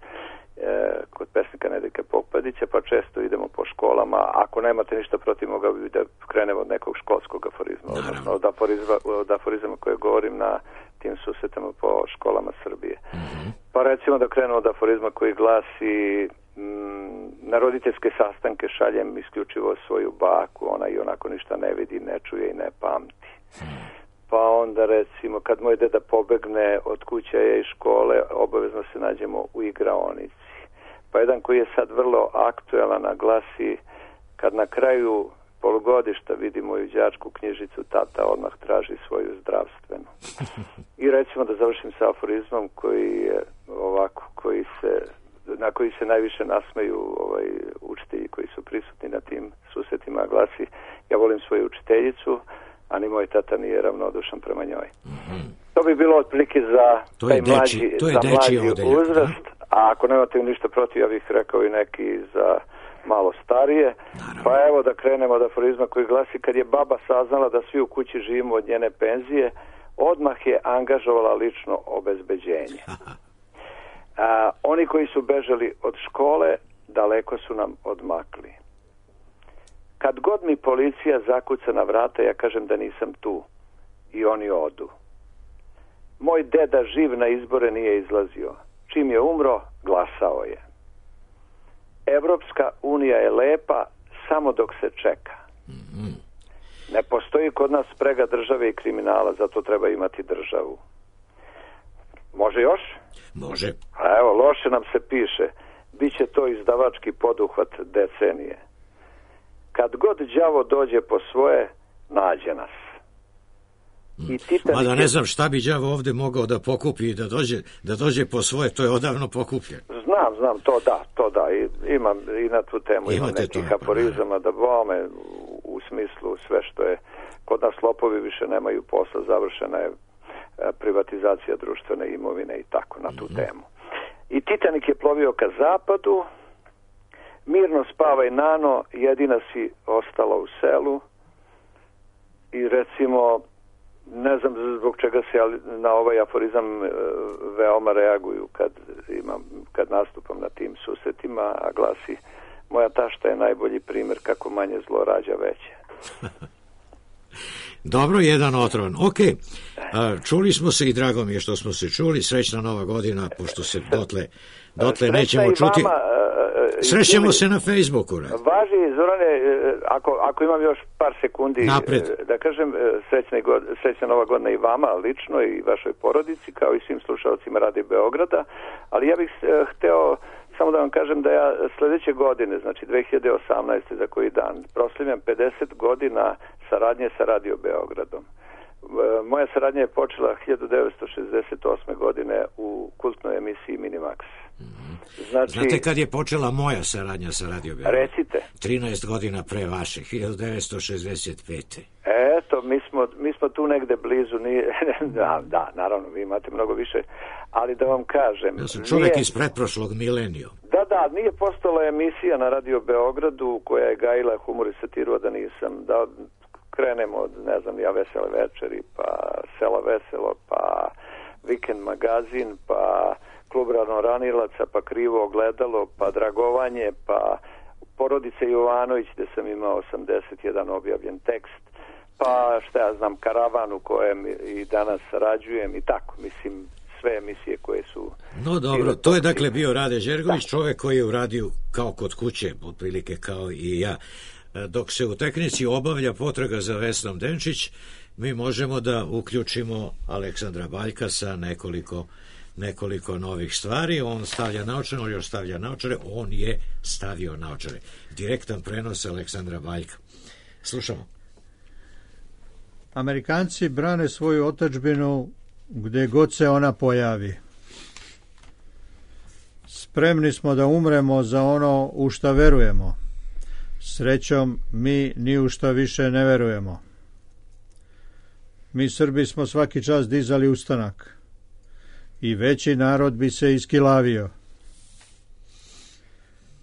kod pesnika Nedeljka Pokpadića, pa često idemo po školama. Ako nemate ništa protiv, mogao bi da krenemo od nekog školskog aforizma, odnosno od, aforizma, od aforizama koje govorim na tim susretama po školama Srbije. Mm-hmm. Pa recimo da krenemo od aforizma koji glasi mm, na roditeljske sastanke šaljem isključivo svoju baku, ona i onako ništa ne vidi, ne čuje i ne pamti. Mm. Pa onda recimo kad moj deda pobegne od kuće i škole, obavezno se nađemo u igraonici. Pa jedan koji je sad vrlo aktuelan, glasi kad na kraju polugodišta vidi moju đačku knjižicu, tata odmah traži svoju zdravstvenu. I recimo da završim sa aforizmom koji je ovako, koji se, na koji se najviše nasmeju ovaj, učitelji koji su prisutni na tim susretima, glasi ja volim svoju učiteljicu, a ni moj tata nije ravnodušan prema njoj. Mm-hmm. To bi bilo otprilike za to taj deči, mlađi, to je za deči mlađi odeljak, uzrast, da? A ako nemate ništa protiv, ja bih rekao i neki za malo starije. Naravno. Pa evo da krenemo od aforizma koji glasi kad je baba saznala da svi u kući živimo od njene penzije, odmah je angažovala lično obezbeđenje. A, oni koji su bežali od škole, daleko su nam odmakli. Kad god mi policija zakuca na vrata, ja kažem da nisam tu. I oni odu. Moj deda živ na izbore nije izlazio. Čim je umro, glasao je. Evropska unija je lepa samo dok se čeka. Ne postoji kod nas sprega države i kriminala, zato treba imati državu. Može još? Može. A evo, loše nam se piše. Biće to izdavački poduhvat decenije. Kad god đavo dođe po svoje, nađe nas. I Titanik... Mada ne znam šta bi đavo ovde mogao da pokupi i da dođe, da dođe po svoje, to je odavno pokupljeno. Znam, znam, to da, to da. I, imam i na tu temu imam nekih aforizama da bome u smislu sve što je kod nas lopovi više nemaju posla, završena je privatizacija društvene imovine i tako na tu mm-hmm. temu. I Titanik je plovio ka zapadu, mirno spavaj nano, jedina si ostala u selu i recimo ne znam zbog čega se na ovaj aforizam veoma reaguju kad, imam, kad nastupam na tim susretima, a glasi moja tašta je najbolji primjer kako manje zlo rađa veće. Dobro, jedan otron. Ok, a, čuli smo se i drago mi je što smo se čuli. Srećna nova godina, pošto se dotle, dotle nećemo čuti. Vama, srećemo se na Facebooku. Rad. Važi, Zorane, ako, ako imam još par sekundi, napred. Da kažem, srećna, god, srećna nova godina i vama lično i vašoj porodici, kao i svim slušalcima Radio Beograda, ali ja bih hteo samo da vam kažem da ja sledeće godine, znači dve hiljade osamnaeste za koji dan, proslavljam pedeset godina saradnje sa Radio Beogradom. Moja saradnja je počela hiljadu devetsto šezdeset osme godine u kultnoj emisiji Minimax. Znači, znate kad je počela moja saradnja sa Radio Beograd? Recite. trinaest godina pre vaše, hiljadu devetsto šezdeset pete. Eto, mi smo, mi smo tu negde blizu, nije, da, da, naravno, vi imate mnogo više, ali da vam kažem... Ja sam čovjek nije, iz pretprošlog mileniju. Da, da, nije postala emisija na Radio Beogradu koja je gajila humor i satiru, da nisam, da krenemo od, ne znam, ja Vesele večeri, pa Sela veselo, pa Vikend magazin, pa Klub Ranilaca, pa Krivo ogledalo, pa Dragovanje, pa Porodica Jovanović, gde sam imao osamdeset jedan objavljen tekst, pa šta ja znam, Karavan u kojem i danas sarađujem i tako, mislim, sve emisije koje su... No dobro, to je dakle bio Rade Đergović, da. Čovek koji je u radiju kao kod kuće, otprilike kao i ja, dok se u tehnici obavlja potraga za Vesnom Denčić mi možemo da uključimo Aleksandra Baljka sa nekoliko, nekoliko novih stvari. On stavlja naočare, on još stavlja naočare, on je stavio naočare. Direktan prenos Aleksandra Baljka. Slušamo. Amerikanci brane svoju otadžbinu gde god se ona pojavi. Spremni smo da umremo za ono u šta verujemo. Srećom, mi ni u šta više ne verujemo. Mi Srbi smo svaki čas dizali ustanak i veći narod bi se iskilavio.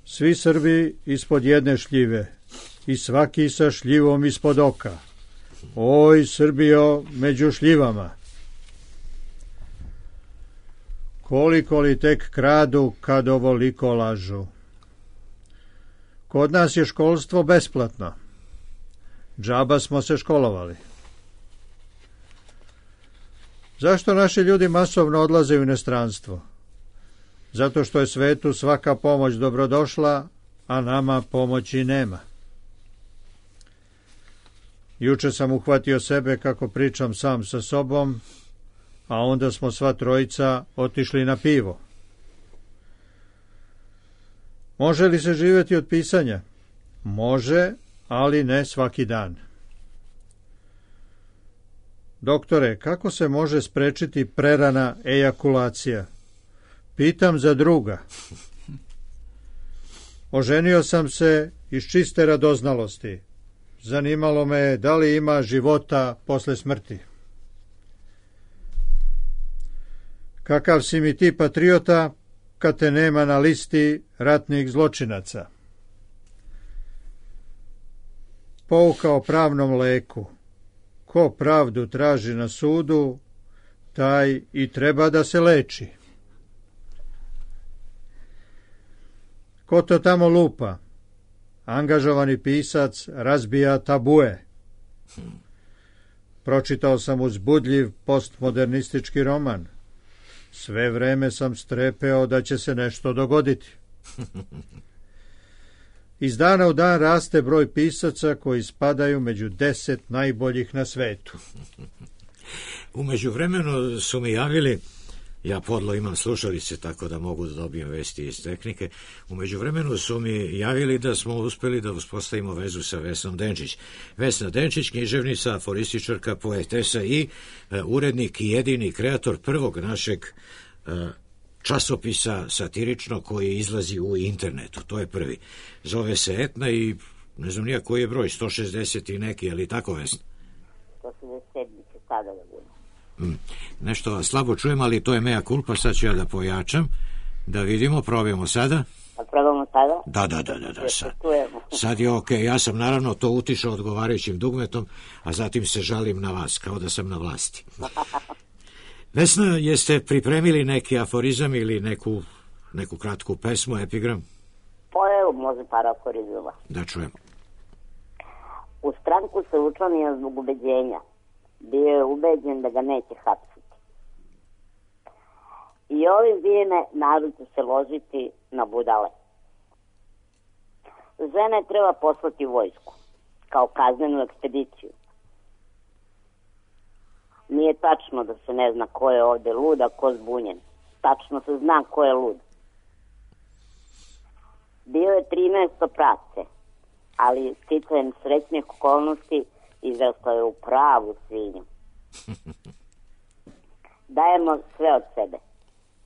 Svi Srbi ispod jedne šljive i svaki sa šljivom ispod oka. Oj, Srbijo, među šljivama. Koliko li tek kradu kad ovoliko lažu. Kod nas je školstvo besplatno. Džaba smo se školovali. Zašto naši ljudi masovno odlaze u inostranstvo? Zato što je svetu svaka pomoć dobrodošla, a nama pomoći nema. Juče sam uhvatio sebe kako pričam sam sa sobom, a onda smo sva trojica otišli na pivo. Može li se živjeti od pisanja? Može, ali ne svaki dan. Doktore, kako se može sprečiti prerana ejakulacija? Pitam za druga. Oženio sam se iz čiste radoznalosti. Zanimalo me je da li ima života posle smrti. Kakav si mi ti patriota kad te nema na listi ratnih zločinaca? Pouka o pravnom leku. Ko pravdu traži na sudu, taj i treba da se leči. Ko to tamo lupa? Angažovani pisac razbija tabue. Pročitao sam uzbudljiv postmodernistički roman. Sve vreme sam strepeo da će se nešto dogoditi. Iz dana u dan raste broj pisaca koji spadaju među deset najboljih na svetu. U međuvremenu su mi javili, ja podlo imam slušalice tako da mogu da dobijem vesti iz tehnike, u međuvremenu su mi javili da smo uspeli da uspostavimo vezu sa Vesnom Denčić. Vesna Denčić, književnica, aforističarka, poetesa i e, urednik i jedini kreator prvog našeg e, časopisa satirično koji izlazi u internetu. To je prvi. Zove se Etna i ne znam nija koji je broj, sto šezdeset i neki, ali tako, Vesna? sto šezdeset sedam će sada da bude. Mm. Nešto slabo čujem, ali to je mea culpa, sad ću ja da pojačam, da vidimo, probajmo sada. A probamo sada? Da, da, da, da, da sad. Sad je okej, okay. Ja sam naravno to utišao odgovarajućim dugmetom, a zatim se žalim na vas, kao da sam na vlasti. Vesna, jeste pripremili neki aforizam ili neku, neku kratku pesmu, epigram? Pa evo, može par aforizama. Da čujem. U stranku se učlanio zbog ubeđenja. Bio je ubeđen da ga neće hapsiti. I ovim vrijeme narod će se ložiti na budale. Žene treba poslati vojsku, kao kaznenu ekspediciju. Nije tačno da se ne zna ko je ovde lud, a ko zbunjen. Tačno se zna ko je lud. Bio je trinaesto prace, ali sticajem srećnih okolnosti izrastao je u pravu svinju. Dajemo sve od sebe,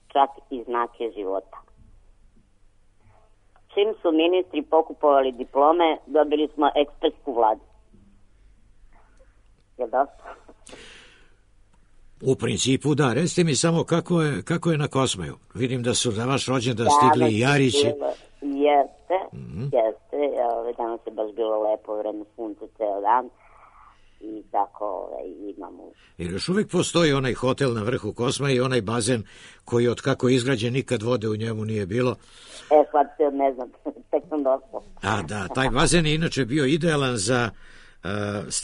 čak i znake života. Čim su ministri pokupovali diplome, dobili smo ekspertsku vladu. Je dosta? U principu da, recite mi samo kako je, kako je na Kosmaju. Vidim da su za vaš rođendan stigli i Jarići. Jeste, mm-hmm. jeste. Ove, danas je baš bilo lepo vreme, sunce ceo dan i tako ove, imamo. Jer još uvijek postoji onaj hotel na vrhu Kosmaja i onaj bazen koji od kako je izgrađen nikad vode u njemu nije bilo. E, sad se ne znam, tek sam došla. A da, taj bazen je inače bio idealan za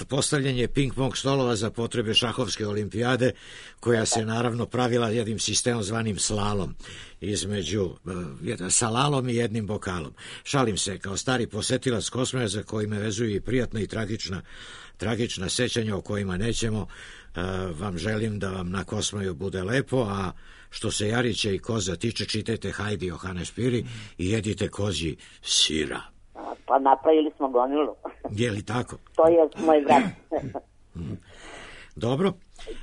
postavljanje ping-pong stolova za potrebe šahovske olimpijade, koja se naravno pravila jednim sistemom zvanim slalom, između uh, salalom i jednim bokalom. Šalim se, kao stari posetilac Kosmaja, za koji me vezuju i prijatna i tragična, tragična sećanja o kojima nećemo, uh, vam želim da vam na Kosmaju bude lepo, a što se Jarića i koza tiče, čitajte Hajdi Johane Špiri i jedite kozji sira. Pa napravili smo gomilu. Je li tako? To je moj brat. Dobro.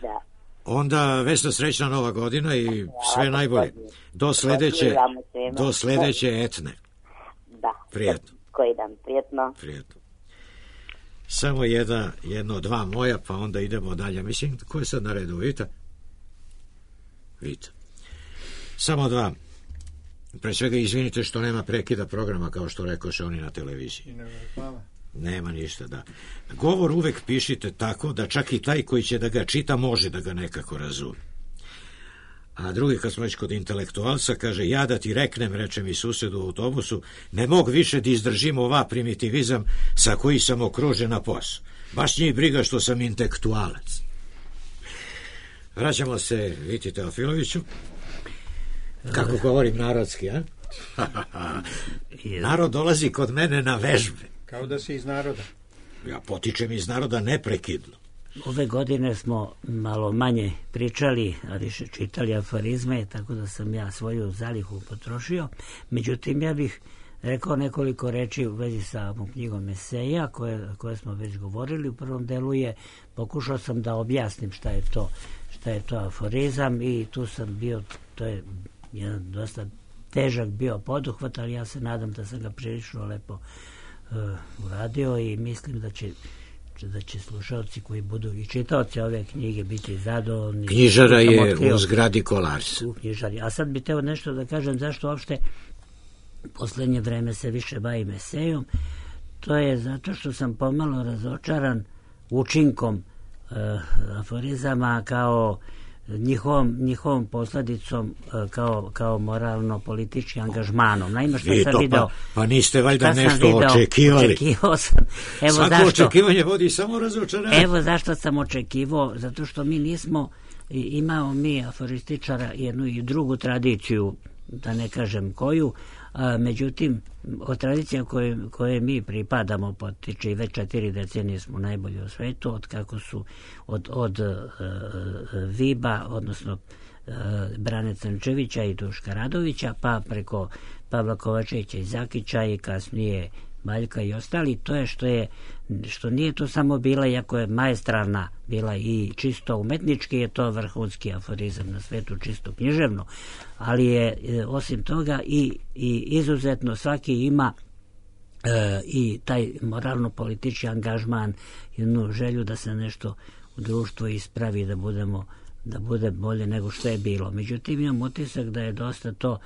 Da. Onda Vesna, srećna nova godina i sve najbolje. Do sledeće, do sledeće etne. Da. Prijetno. Koji dan, prijetno. Prijetno. Samo jedna, jedno, dva moja, pa onda idemo dalje. Mislim, ko je sad na redu? Vita? Vita. Samo dva. Pre svega izvinite što nema prekida programa, kao što rekoše oni na televiziji. Hvala. Nema ništa, da. Govor uvek pišite tako da čak i taj koji će da ga čita može da ga nekako razume. A drugi, kad smo već kod intelektualca, kaže, ja da ti reknem, reče mi sused u autobusu, ne mogu više da izdržim ova primitivizam sa koji sam okružen na posao. Baš njih briga što sam intelektualac. Vraćamo se Viti Teofiloviću. Kako govorim narodski, a? Narod dolazi kod mene na vežbe. Kao da si iz naroda. Ja potičem iz naroda neprekidno. Ove godine smo malo manje pričali, a više čitali aforizme, tako da sam ja svoju zalihu potrošio. Međutim, ja bih rekao nekoliko reči u vezi sa ovom knjigom eseja, koje, koje smo već govorili. U prvom delu je, pokušao sam da objasnim šta je to, šta je to aforizam i tu sam bio, to je jedan dosta težak bio poduhvat, ali ja se nadam da sam ga prilično lepo uh, uradio i mislim da će da će slušalci koji budu i čitaoci ove knjige biti zadovoljni. Knjižara je u zgradi Kolars. U knjižari. A sad bih teo nešto da kažem zašto uopšte poslednje vreme se više bavim esejom. To je zato što sam pomalo razočaran učinkom uh, aforizama kao njihovom, njihovom posledicom kao, kao moralno-politički angažmanom. Naime, što I sam to, video... Pa, pa niste valjda nešto video, očekivali. Očekivao sam. Evo Svako zašto, očekivanje vodi samo razočaranje. Evo zašto sam očekivao, zato što mi nismo, imao mi aforističara jednu i drugu tradiciju, da ne kažem koju, a, međutim, od tradicija koje, koje mi pripadamo potiče i već četiri decenije smo najbolji u svetu, od kako su od, od uh, Viba, odnosno uh, Brane Crnčevića i Duška Radovića, pa preko Pavla Kovačevića i Zakića i kasnije Baljka i ostali, to je što je što nije to samo bila, iako je maestralna bila i čisto umetnički, je to vrhunski aforizam na svetu, čisto književno, ali je osim toga i, i izuzetno svaki ima e, i taj moralno-politički angažman, jednu želju da se nešto u društvu ispravi, da budemo da bude bolje nego što je bilo. Međutim, imam utisak da je dosta to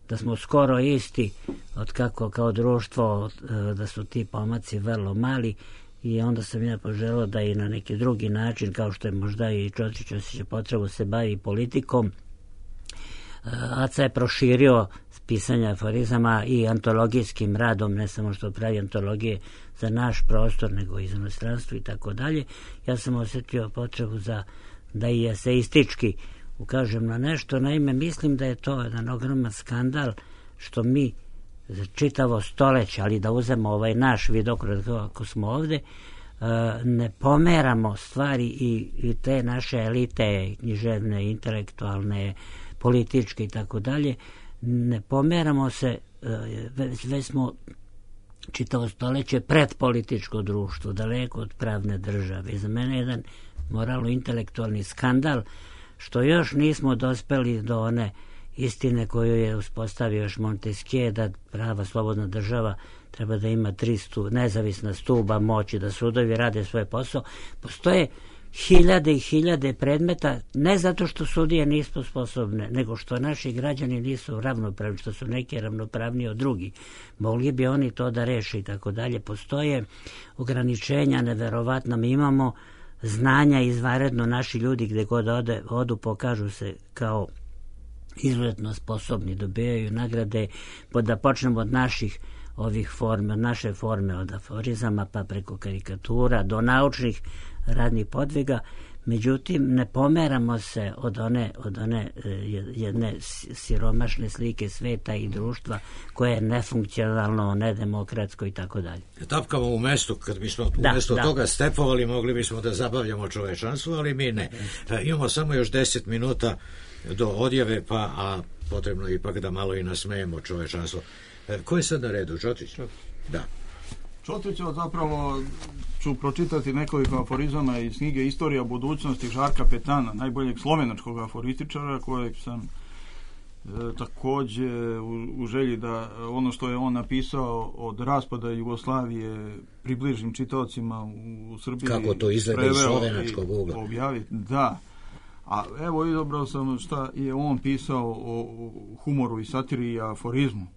da smo skoro isti od kako kao društvo, da su ti pomaci vrlo mali i onda sam ja poželao da i na neki drugi način, kao što je možda i Čotrić osjeća potrebu se bavi politikom. Aca je proširio pisanje aforizama i antologijskim radom, ne samo što pravi antologije za naš prostor, nego i za inostranstvo i tako dalje. Ja sam osjetio potrebu za da i eseistički ukažem na nešto. Naime, mislim da je to jedan ogroman skandal što mi za čitavo stoleće, ali da uzemo ovaj naš vidokrut ako smo ovde, ne pomeramo stvari i, i te naše elite književne, intelektualne, političke i tako dalje, ne pomeramo se, već, već smo čitavo stoleće pred političko društvo, daleko od pravne države. I za mene je jedan moralno-intelektualni skandal što još nismo dospeli do one istine koju je uspostavio još Montesquieu, da prava slobodna država treba da ima tri stu, nezavisna stuba moći, da sudovi rade svoj posao. Postoje hiljade i hiljade predmeta, ne zato što sudije nisu sposobne, nego što naši građani nisu ravnopravni, što su neki ravnopravniji od drugih. Mogli bi oni to da reše i tako dalje. Postoje ograničenja neverovatna. Mi imamo znanja izvanredno, naši ljudi gde god ode, odu pokažu se kao izuzetno sposobni, dobijaju nagrade, da počnemo od naših ovih forme, naše forme od aforizama pa preko karikatura do naučnih radnih podviga. Međutim, ne pomeramo se od one, od one jedne siromašne slike sveta i društva koje je nefunkcionalno, nedemokratsko i tako dalje. Tapkamo u mestu, kad bismo u da, mesto da. toga stepovali, mogli bismo da zabavljamo čovečanstvo, ali mi ne. E, imamo samo još deset minuta do odjave, pa a potrebno ipak da malo i nasmejemo čovečanstvo. E, ko je sad na redu, Čotrić? Da. Čotrića zapravo ću pročitati nekoliko aforizama iz knjige Istorija budućnosti Žarka Petana, najboljeg slovenačkog aforističara, kojeg sam e, takođe u, u želji da ono što je on napisao od raspada Jugoslavije približim čitaocima u, u Srbiji. Kako to izgleda iz slovenačkog ugla. Objaviti, da. A evo izabrao sam šta je on pisao o humoru i satiri i aforizmu.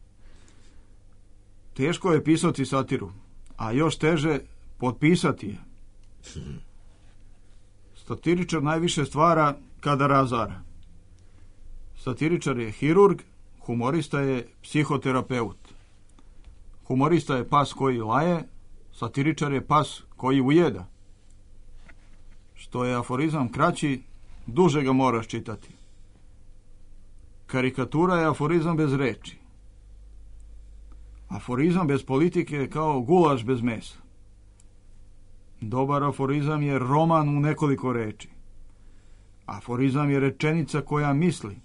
Teško je pisati satiru, a još teže potpisati je. Satiričar najviše stvara kada razara. Satiričar je hirurg, humorista je psihoterapeut. Humorista je pas koji laje, satiričar je pas koji ujeda. Što je aforizam kraći, duže ga moraš čitati. Karikatura je aforizam bez reči. Aforizam bez politike je kao gulaš bez mesa. Dobar aforizam je roman u nekoliko reči. Aforizam je rečenica koja misli.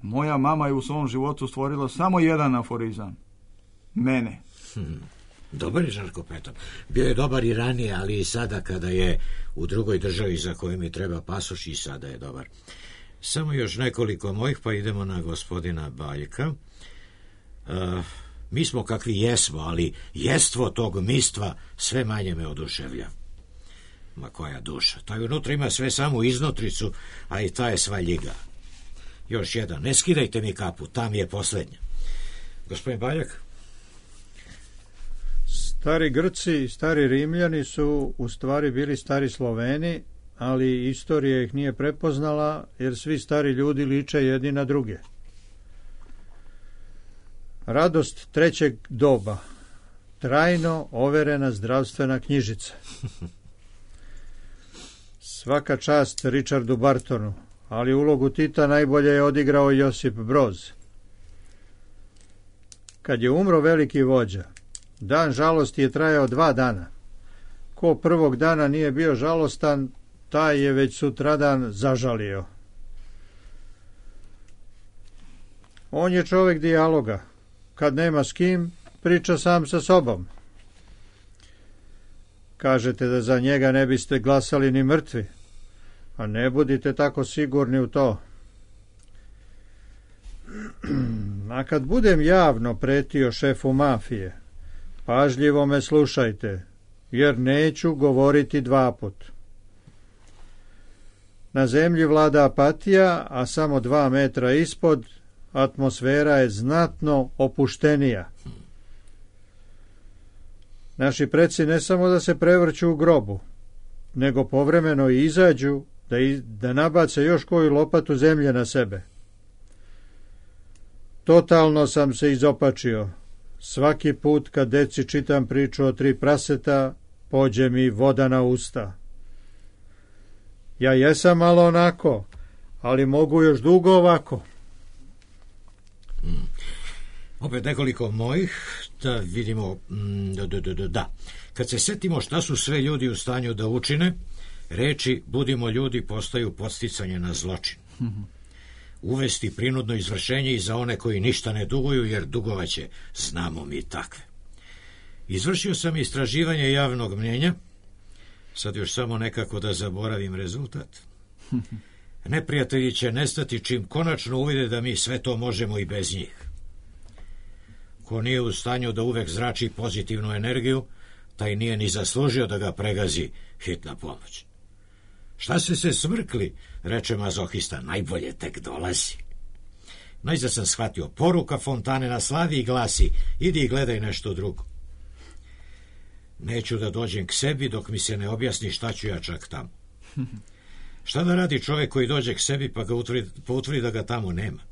Moja mama je u svom životu stvorila samo jedan aforizam. Mene. Hmm. Dobar je Žarko Petan. Bio je dobar i ranije, ali i sada kada je u drugoj državi za koju mi treba pasoš, i sada je dobar. Samo još nekoliko mojih, pa idemo na gospodina Baljka. Uh, mi smo kakvi jesmo, ali jestvo tog mistva sve manje me oduševlja. Ma koja duša. Taj unutra ima sve samo iznutricu, a i ta je sva ljiga. Još jedan. Ne skidajte mi kapu, tam je poslednja. Gospodin Baljak? Stari Grci i stari Rimljani su u stvari bili stari Sloveni, ali istorija ih nije prepoznala, jer svi stari ljudi liče jedni na druge. Radost trećeg doba. Trajno overena zdravstvena knjižica. Svaka čast Richardu Bartonu, ali ulogu Tita najbolje je odigrao Josip Broz. Kad je umro veliki vođa, dan žalosti je trajao dva dana. Ko prvog dana nije bio žalostan, taj je već sutradan zažalio. On je čovjek dijaloga. Kad nema s kim, priča sam sa sobom. Kažete da za njega ne biste glasali ni mrtvi, a ne budite tako sigurni u to. A kad budem javno pretio šefu mafije, pažljivo me slušajte, jer neću govoriti dva put. Na zemlji vlada apatija, a samo dva metra ispod atmosfera je znatno opuštenija. Naši preci ne samo da se prevrću u grobu, nego povremeno i izađu da, i, da nabace još koju lopatu zemlje na sebe. Totalno sam se izopačio. Svaki put kad deci čitam priču o tri praseta, pođe mi voda na usta. Ja jesam malo onako, ali mogu još dugo ovako. Mm. Opet nekoliko mojih, da vidimo, mm, da, da, da, da. Kad se setimo šta su sve ljudi u stanju da učine, reči budimo ljudi postaju podsticanje na zločin. Uvesti prinudno izvršenje i za one koji ništa ne duguju, jer dugovaće, znamo mi takve. Izvršio sam istraživanje javnog mnjenja, sad još samo nekako da zaboravim rezultat. Neprijatelji će nestati čim konačno uvide da mi sve to možemo i bez njih. Ko nije u stanju da uvek zrači pozitivnu energiju, taj nije ni zaslužio da ga pregazi hitna pomoć. Šta ste se smrkli, reče mazohista, najbolje tek dolazi. Najzad sam shvatio, poruka fontane na slavi i glasi, idi i gledaj nešto drugo. Neću da dođem k sebi dok mi se ne objasni šta ću ja čak tamo. Šta da radi čovjek koji dođe k sebi pa ga utvrdi, pa utvrdi da ga tamo nema?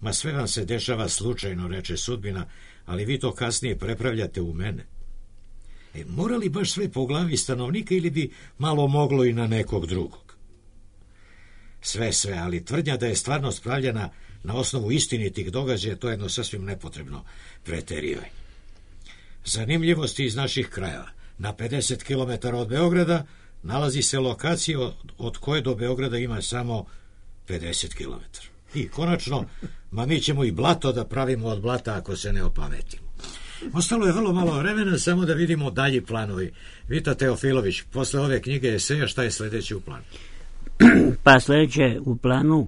Ma sve vam se dešava slučajno, reče sudbina, ali vi to kasnije prepravljate u mene. E, mora li baš sve po glavi stanovnika ili bi malo moglo i na nekog drugog? Sve, sve, ali tvrdnja da je stvarnost pravljena na osnovu istinitih događaja, to je jedno sasvim nepotrebno preterivanje. Zanimljivosti iz naših krajeva. Na pedeset kilometara od Beograda nalazi se lokacija od, od koje do Beograda ima samo pedeset kilometara. I konačno, ma mi ćemo i blato da pravimo od blata ako se ne opametimo. Ostalo je vrlo malo vremena, samo da vidimo dalji planovi. Vita Teofilović, posle ove knjige eseja, šta je sledeće u planu? Pa sledeće u planu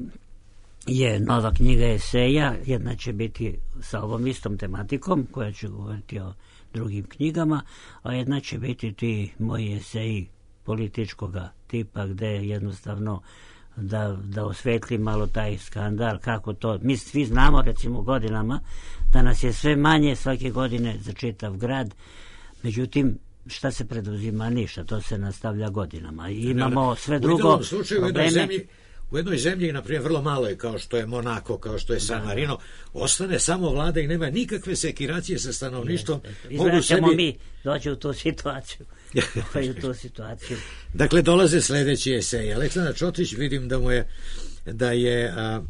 je nova knjiga eseja, jedna će biti sa ovom istom tematikom, koja će govoriti o drugim knjigama, a jedna će biti ti moji eseji političkog tipa, gde jednostavno da, da osvetli malo taj skandal, kako to, mi svi znamo recimo godinama da nas je sve manje svake godine za čitav grad, međutim šta se preduzima? Ništa, to se nastavlja godinama i imamo sve drugo u slučaju, probleme. U jednoj zemlji, u jednoj zemlji, na primjer, vrlo malo je, kao što je Monako, kao što je San Marino, ostane samo vlada i nema nikakve sekiracije sa stanovništvom. Izgleda ćemo sebi... mi doći u tu situaciju. u tu situaciju. Dakle, dolaze sledeći esej. Aleksandar Čotrić, vidim da mu je, da je a,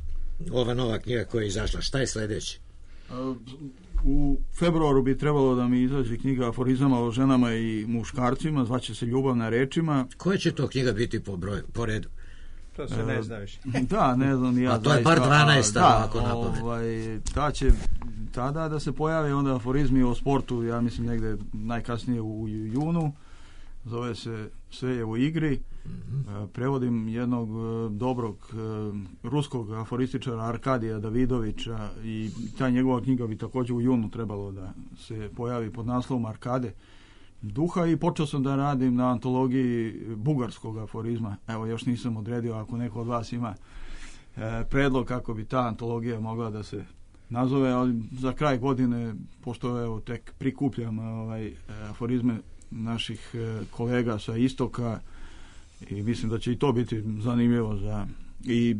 ova nova knjiga koja je izašla. Šta je sledeće? U februaru bi trebalo da mi izađe knjiga aforizama o ženama i muškarcima, zvaće se Ljubav na rečima. Koja će to knjiga biti po, broju, po redu? To se ne zna više. Da, ne znam ja. A to je par dvanaest, da, ako napamet. Ovaj, ta će tada da se pojave onda aforizmi o sportu, ja mislim negde najkasnije u junu. Zove se Sve je u igri. Mm-hmm. Prevodim jednog dobrog ruskog aforističara Arkadija Davidovića i ta njegova knjiga bi također u junu trebalo da se pojavi pod naslovom Arkade duha i počeo sam da radim na antologiji bugarskog aforizma. Evo, još nisam odredio, ako neko od vas ima e, predlog kako bi ta antologija mogla da se nazove, ali za kraj godine, pošto evo tek prikupljam ovaj, aforizme naših e, kolega sa istoka i mislim da će i to biti zanimljivo za i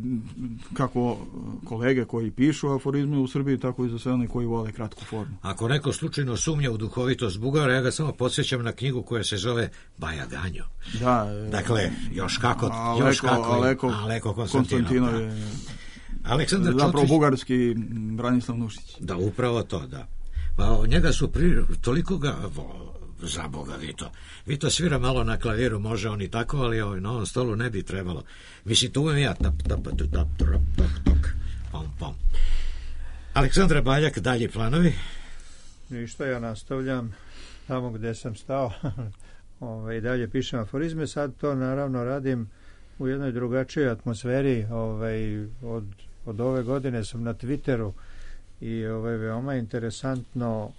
kako kolege koji pišu aforizme u Srbiji, tako i za sve one koji vole kratku formu. Ako neko slučajno sumnja u duhovitost Bugara, ja ga samo podsjećam na knjigu koja se zove Baja Ganjo. Da. Dakle, još kako, Aleko, još kako Aleko, Aleko Konstantinov. Konstantinov je Aleksandar Čotrić. Zapravo bugarski Branislav Nušić. Da, upravo to, da. Pa njega su pri, toliko ga... Za Boga, Vito. Vito svira malo na klaviru, može on i tako, ali ovaj, na ovom stolu ne bi trebalo. Mislim, to uvijek ja tap, tap, tap, tap, tap, tap, tap, pom, pom. Aleksandra Baljak, dalje planovi? Ništa, ja nastavljam tamo gde sam stao. ovaj, dalje pišem aforizme, sad to naravno radim u jednoj drugačijoj atmosferi. Ovaj, od, od ove godine sam na Twitteru i ovaj, veoma interesantno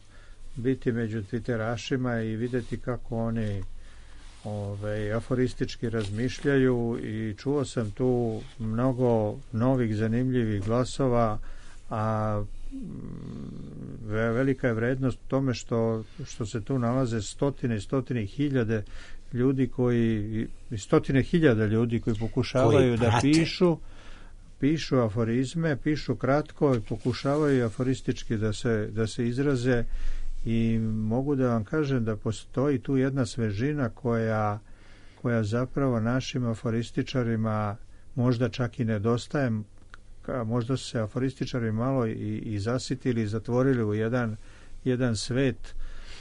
biti među twitterašima i videti kako oni ovaj, aforistički razmišljaju i čuo sam tu mnogo novih zanimljivih glasova, a velika je vrednost u tome što, što se tu nalaze stotine i stotine hiljade ljudi koji, stotine hiljada ljudi koji pokušavaju koji da pišu pišu aforizme, pišu kratko i pokušavaju aforistički da se, da se izraze. I mogu da vam kažem da postoji tu jedna svežina koja, koja zapravo našim aforističarima možda čak i nedostaje. Možda su se aforističari malo i, i zasitili i zatvorili u jedan, jedan svet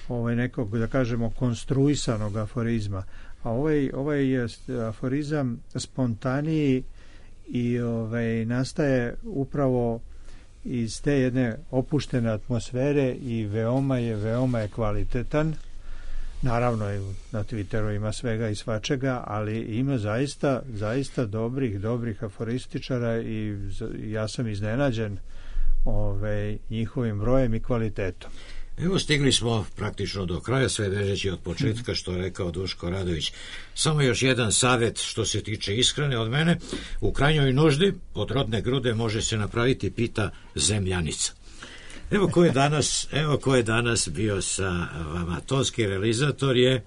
ovaj nekog, da kažemo, konstruisanog aforizma. A ovaj, ovaj je aforizam spontaniji i ovaj, nastaje upravo iz te jedne opuštene atmosfere i veoma je, veoma je kvalitetan. Naravno, na Twitteru ima svega i svačega, ali ima zaista, zaista dobrih, dobrih aforističara i ja sam iznenađen ovaj, njihovim brojem i kvalitetom. Evo, stigli smo praktično do kraja, sve vežeći od početka, što je rekao Duško Radović. Samo još jedan savjet što se tiče ishrane od mene. U krajnjoj nuždi od rodne grude može se napraviti pita zemljanica. Evo ko je danas, evo ko je danas bio sa vama. Tonski realizator je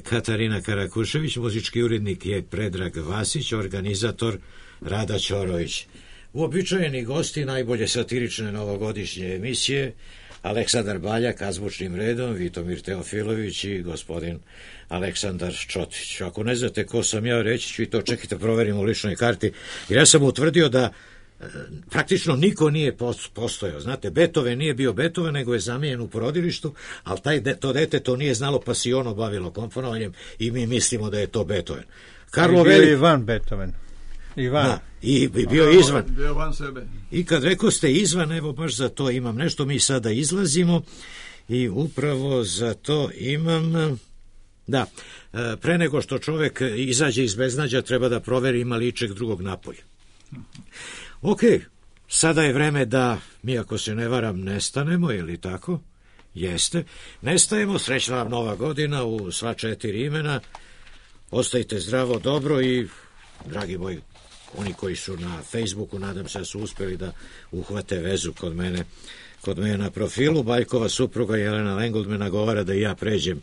Katarina Karakušević, muzički urednik je Predrag Vasić, organizator Rada Ćorović. Uobičajeni gosti najbolje satirične novogodišnje emisije, Aleksandar Baljak, azbučnim redom, Vitomir Teofilović i gospodin Aleksandar Čotrić. Ako ne znate ko sam ja, reći ću i to, čekajte, proverim u ličnoj karti, jer ja sam utvrdio da e, praktično niko nije postojao. Znate, Beethoven nije bio Beethoven, nego je zamijenjen u porodilištu, ali taj de, to dete to nije znalo, pa si ono bavilo komponovanjem i mi mislimo da je to Beethoven. Karlo bio Veli... Ivan Beethoven. Ivan. Da, i, i bio izvan. Bio van sebe. I kad rekao ste izvan, evo baš za to imam nešto, mi sada izlazimo i upravo za to imam... Da, pre nego što čovek izađe iz beznađa, treba da proveri ima li ičeg drugog napolja. Ok, sada je vreme da mi, ako se ne varam, nestanemo, je li tako? Jeste. Nestajemo, srećna vam nova godina u sva četiri imena. Ostajte zdravo, dobro i, dragi moji, oni koji su na Facebooku, nadam se da su uspeli da uhvate vezu kod mene, kod mene na profilu. Baljkova supruga Jelena Lengold me nagovara da i ja pređem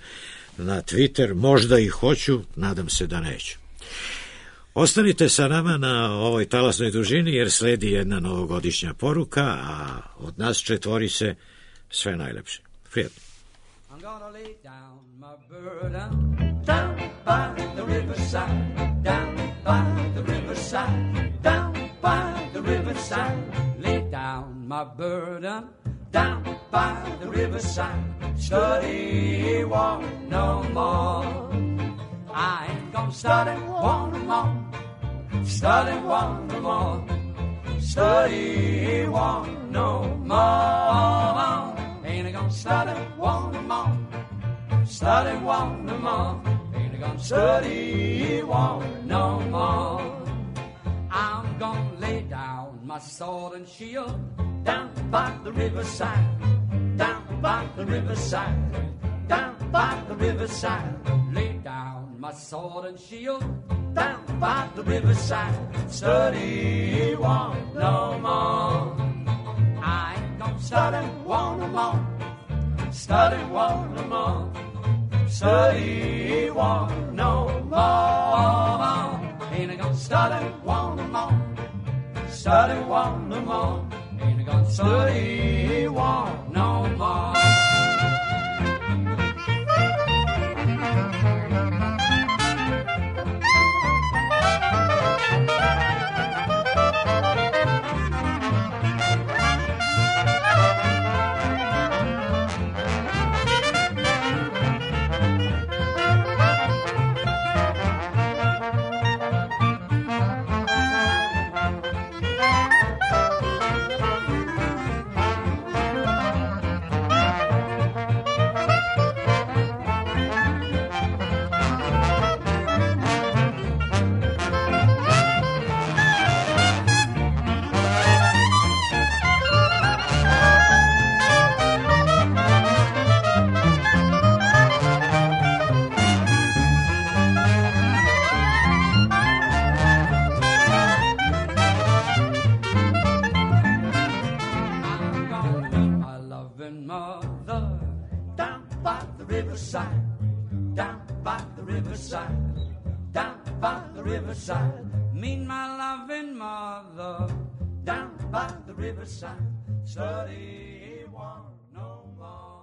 na Twitter, možda i hoću, nadam se da neću. Ostanite sa nama na ovoj talasnoj dužini, jer sledi jedna novogodišnja poruka, a od nas četvori se sve najlepše. Prijatno. I'm gonna lay down my burden down by the riverside, down by the riverside, down by the riverside. Lay down my burden down by the riverside. Study war no more. I ain't gonna study war no more. Study war no more. Study war no more. Ain't gonna study war no more. Study war no more. Ain't gonna study war no more. I'm gonna lay down my sword and shield down by the riverside, down by the riverside, down by the riverside. Lay down my sword and shield down by the riverside. Study war no more. I ain't gonna study war no more. Study war no more. Study war no more. Ain't gonna study war no more. Study war no more. Ain't gonna study war no more. Meet my loving mother down by the riverside. Study war no more.